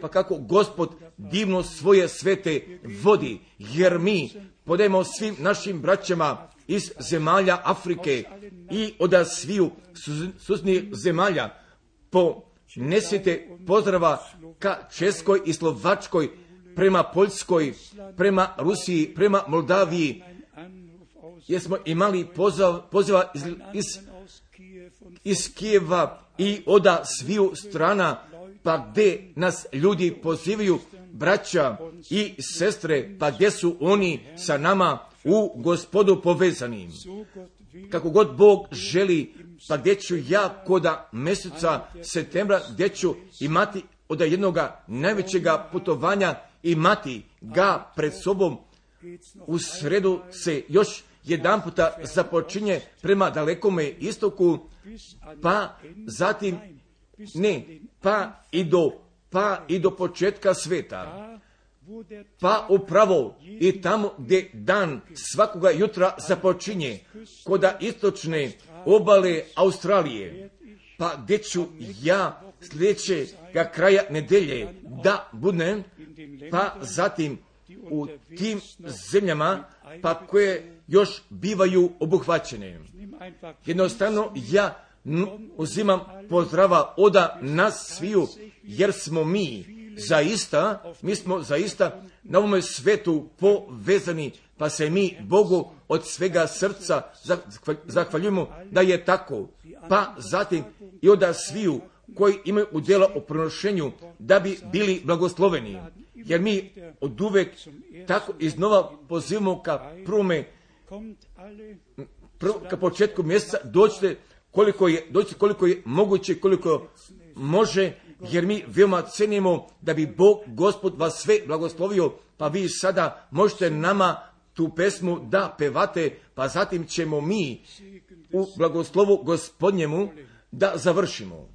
pa kako Gospod divno svoje svete vodi, jer mi podajemo svim našim braćama iz zemalja Afrike i od sviju susjednih zemalja ponesite pozdrava ka Českoj i Slovačkoj, prema Poljskoj, prema Rusiji, prema Moldaviji, jer smo imali poziva iz Kijeva i od sviju strana, pa gdje nas ljudi pozivaju, braća i sestre, pa gdje su oni sa nama u Gospodu povezani. Kako god Bog želi, pa gdje ću ja koda mjeseca septembra, gdje ću imati od jednoga najvećega putovanja, imati ga pred sobom. U sredu se još jedan puta započinje prema dalekome istoku, pa zatim pa i do početka sveta. Pa upravo i tamo gdje dan svakoga jutra započinje, koda istočne obale Australije, pa gdje ću ja sljedećega kraja nedelje da budem, pa zatim u tim zemljama, pa koje još bivaju obuhvaćene. Jednostavno ja uzimam pozdrava od nas sviju, jer smo mi smo zaista na ovome svetu povezani, pa se mi Bogu od svega srca zahvaljujemo da je tako. Pa zatim i od sviju koji imaju udjela u prenošenju da bi bili blagosloveni. Jer mi od uvek tako iznova pozivamo ka ka početku mjeseca dođite koliko je moguće, koliko može, jer mi veoma cenimo da bi Bog, Gospod, vas sve blagoslovio, pa vi sada možete nama tu pesmu da pevate, pa zatim ćemo mi u blagoslovu Gospodnjemu da završimo.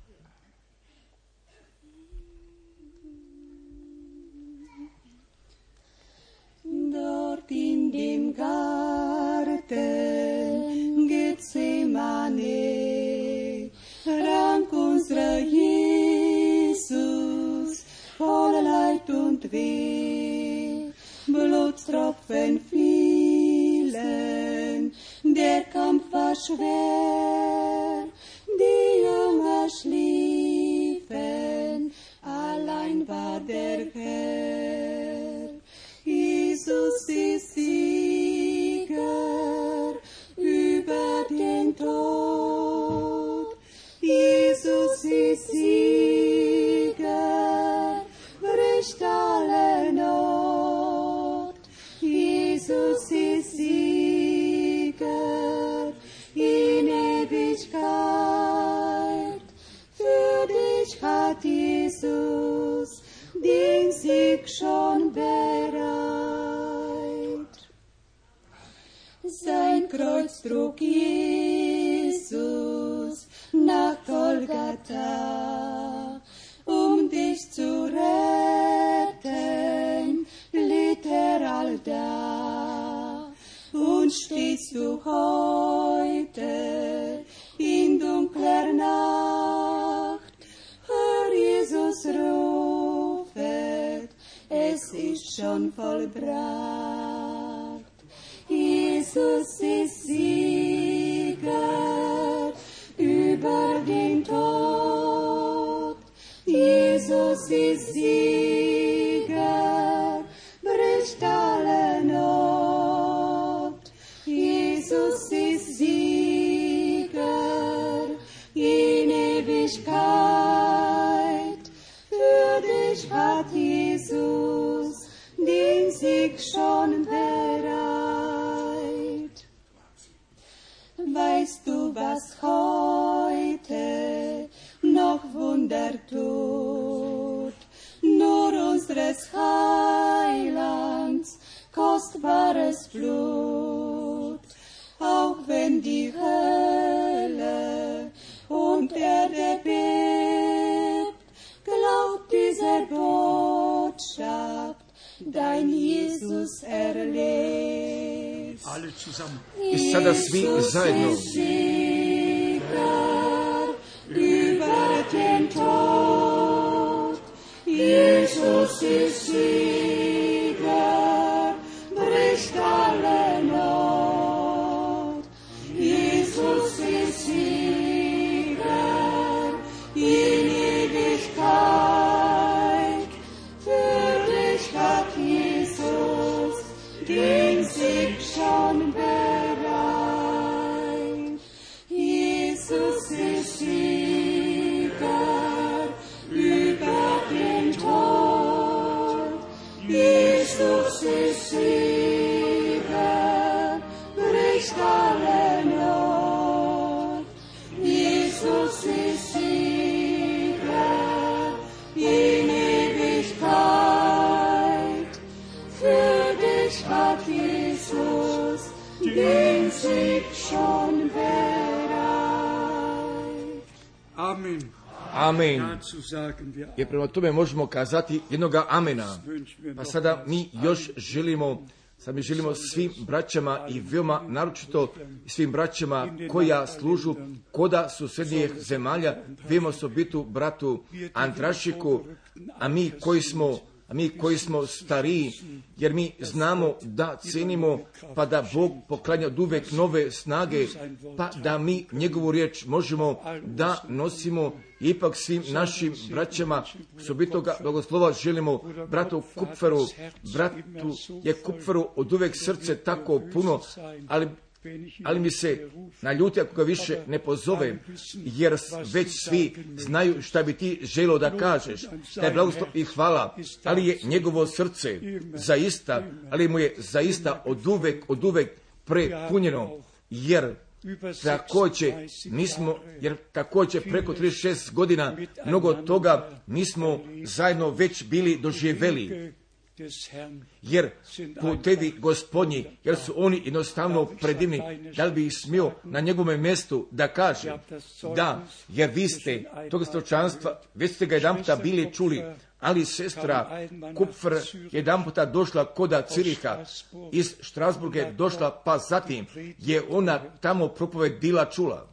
Dort in dem Garten Gethsemane rank unser Jesus voll Leid und Weh, Blutstropfen fielen, der Kampf war schwer, die Jünger schliefen, allein war der Herr. Jesus ist Sieger über den Tod. Jesus ist Sieger, bricht alle Not. Jesus ist Sieger in Ewigkeit. Für dich hat Jesus den Sieg schon bereit. Sein Kreuz trug Jesus nach Golgatha, dich zu retten, litt all da. Und stehst du heute in dunkler Nacht, hör Jesus rufet, es ist schon vollbracht. Jesus ist Sieger über den Tod. Jesus ist Sieger, bricht alle Not. Jesus ist Sieger in Ewigkeit. Für dich hat Jesus den Sieg schon bereit. Weißt du, was heute noch Wunder tut? Nur kostbares Blut. Auch wenn die Hölle und Erde bebt, glaubt dieser Botschaft, dein Jesus erlebt. Alle zusammen. I sada svi zajedno. Über den Tod, Jesus ist Sieger, bricht alle Not. Jesus ist Sieger, in Ewigkeit. Für dich hat Jesus den Sieg schon bereit. Jesus ist Sieger über den Tod. Jesus ist Sieger, bricht alle Not. Jesus ist Sieger in Ewigkeit. Für dich hat Jesus den Sieg schon bereit. Amen. Amen. Dazu sagen wir Jer prema tome možemo kazati jednoga amena. wünschen wir Pa noch sada mi još želimo svim braćama i veoma naročito svim braćama koja služu koda susednijih zemalja, veoma osobitu bratu Antrašiku, a mi koji smo stariji, jer mi znamo da cenimo, pa da Bog poklanja od uvek nove snage, pa da mi njegovu riječ možemo da nosimo. Ipak svim našim braćama osobitoga blagoslova želimo bratu Kupferu od uvek srce tako puno, ali mi se naljuti ako ga više ne pozove, jer već svi znaju šta bi ti želio da kažeš. Taj blagoslov i hvala, ali je njegovo srce zaista, ali mu je zaista od uvek prepunjeno, jer također preko 36 godina mnogo toga mi smo zajedno već bili doživjeli. Jer putevi Gospodnji, jer su oni jednostavno predivni, da li bi ih smio na njegovom mjestu da kaže da, jer vi ste toga stočanstva, već ste ga jedan puta bili čuli, ali sestra Kupfer jedan puta došla koda Ciriha, iz Strasburga je došla, pa zatim je ona tamo propoved bila čula.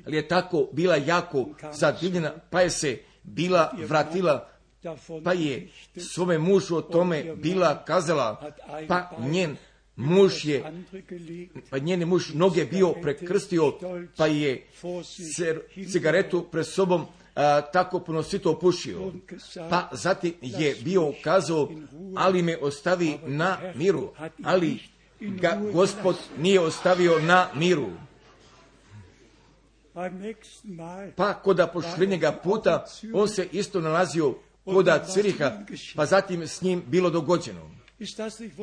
Ali je tako bila jako zadivljena, pa je se bila vratila, pa je svome mužu o tome bila kazala, pa njen muž noge bio prekrstio, pa je cigaretu pred sobom tako punosito opušio. Pa zatim je bio kazao, ali me ostavi na miru, ali ga Gospod nije ostavio na miru. Pa koda pošljenjega puta on se isto nalazio koda Ciriha, pa zatim s njim bilo dogođeno.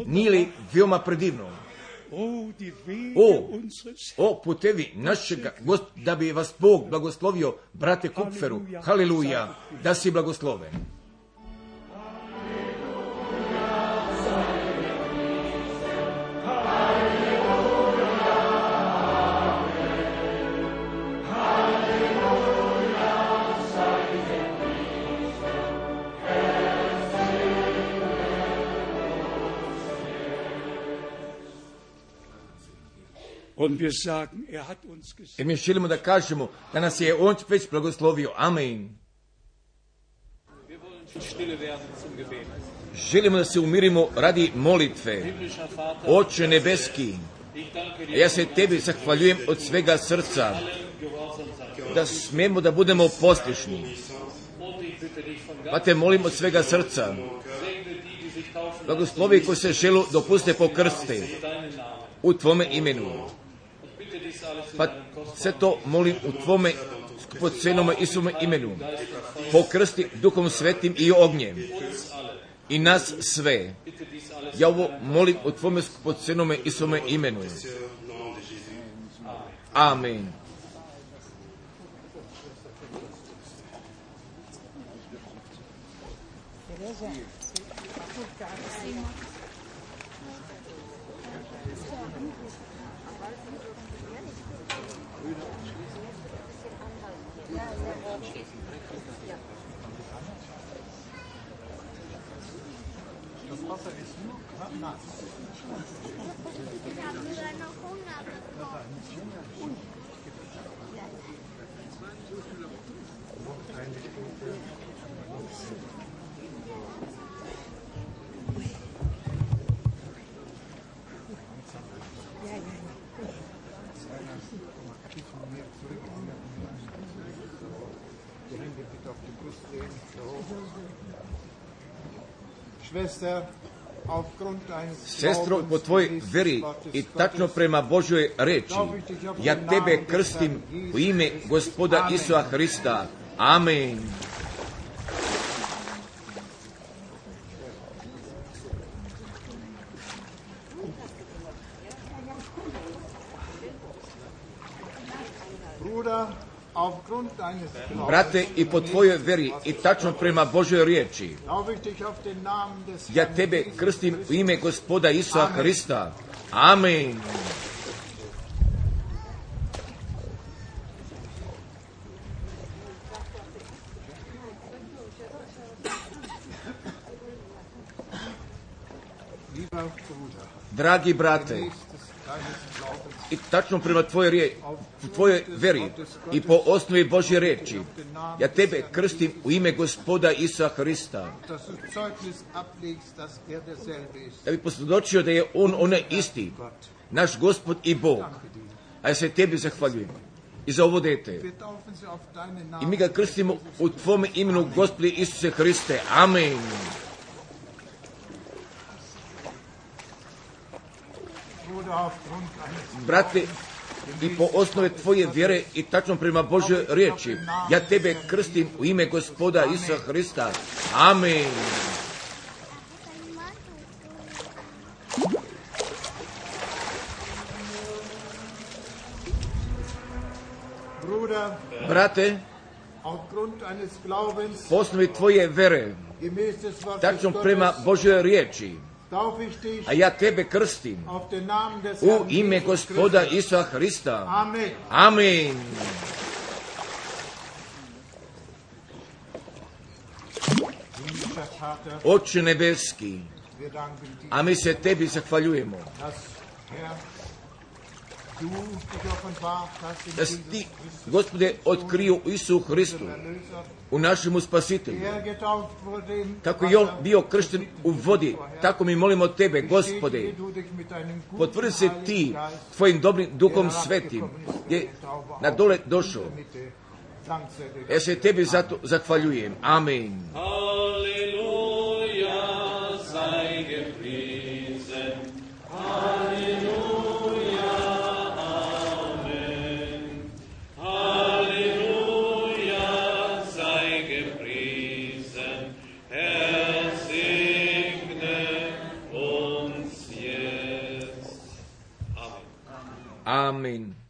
Nije li veoma predivno? O putevi našega Gospoda, da bi vas Bog blagoslovio, brate Kupferu, haleluja, da si blagosloven. I mi želimo da kažemo da nas je on već blagoslovio. Amen. Želimo da se umirimo radi molitve. Oče nebeski, ja se tebi zahvaljujem od svega srca da smemo da budemo poslušni. Pa te molim od svega srca, blagoslovi koji se želu dopuste pokrste u tvome imenu. Pa sve to molim u tvome skupocenome Isusovome imenu. Pokrsti Duhom Svetim i ognjem. I nas sve. Ja ovo molim u tvome skupocenome Isusovome imenu. Amen. Sestro, po tvojoj veri i tačno prema Božoj reči, ja tebe krstim u ime Gospoda Isusa Hrista. Amen. Brate, i po tvojoj veri i tačno prema Božoj riječi, ja tebe krstim u ime Gospoda Isusa Hrista. Amen. Dragi brate, i tačno prema tvojoj veri i po osnovi Božje riječi, ja tebe krstim u ime Gospoda Isusa Hrista, da bi posvjedočio da je On onaj isti, naš Gospod i Bog. A ja se tebi zahvaljujem i za ovo dete. I mi ga krstimo u tvome imenu, Gospodi Isuse Hriste. Amen. Brate, i po osnove tvoje vjere i tačno prema Božoj riječi, ja tebe krstim u ime Gospoda Isusa Hrista. Amen. Brate, po osnovi tvoje vjere, tačno prema Božoj riječi, a ja tebe krstim u ime Gospoda Isusa Hrista. Amen. Oče nebeski, a mi se tebi zahvaljujemo da si ti, Gospode, otkrio u Isusu Hristu, u našemu Spasitelju. Kako je on bio kršten u vodi, tako mi molimo tebe, Gospode, potvrdi se ti tvojim dobrim duhom svetim, je na dole došao. Ja se tebi zato zahvaljujem. Amen. Halleluja, sei gepriesen. Halleluja. Amen.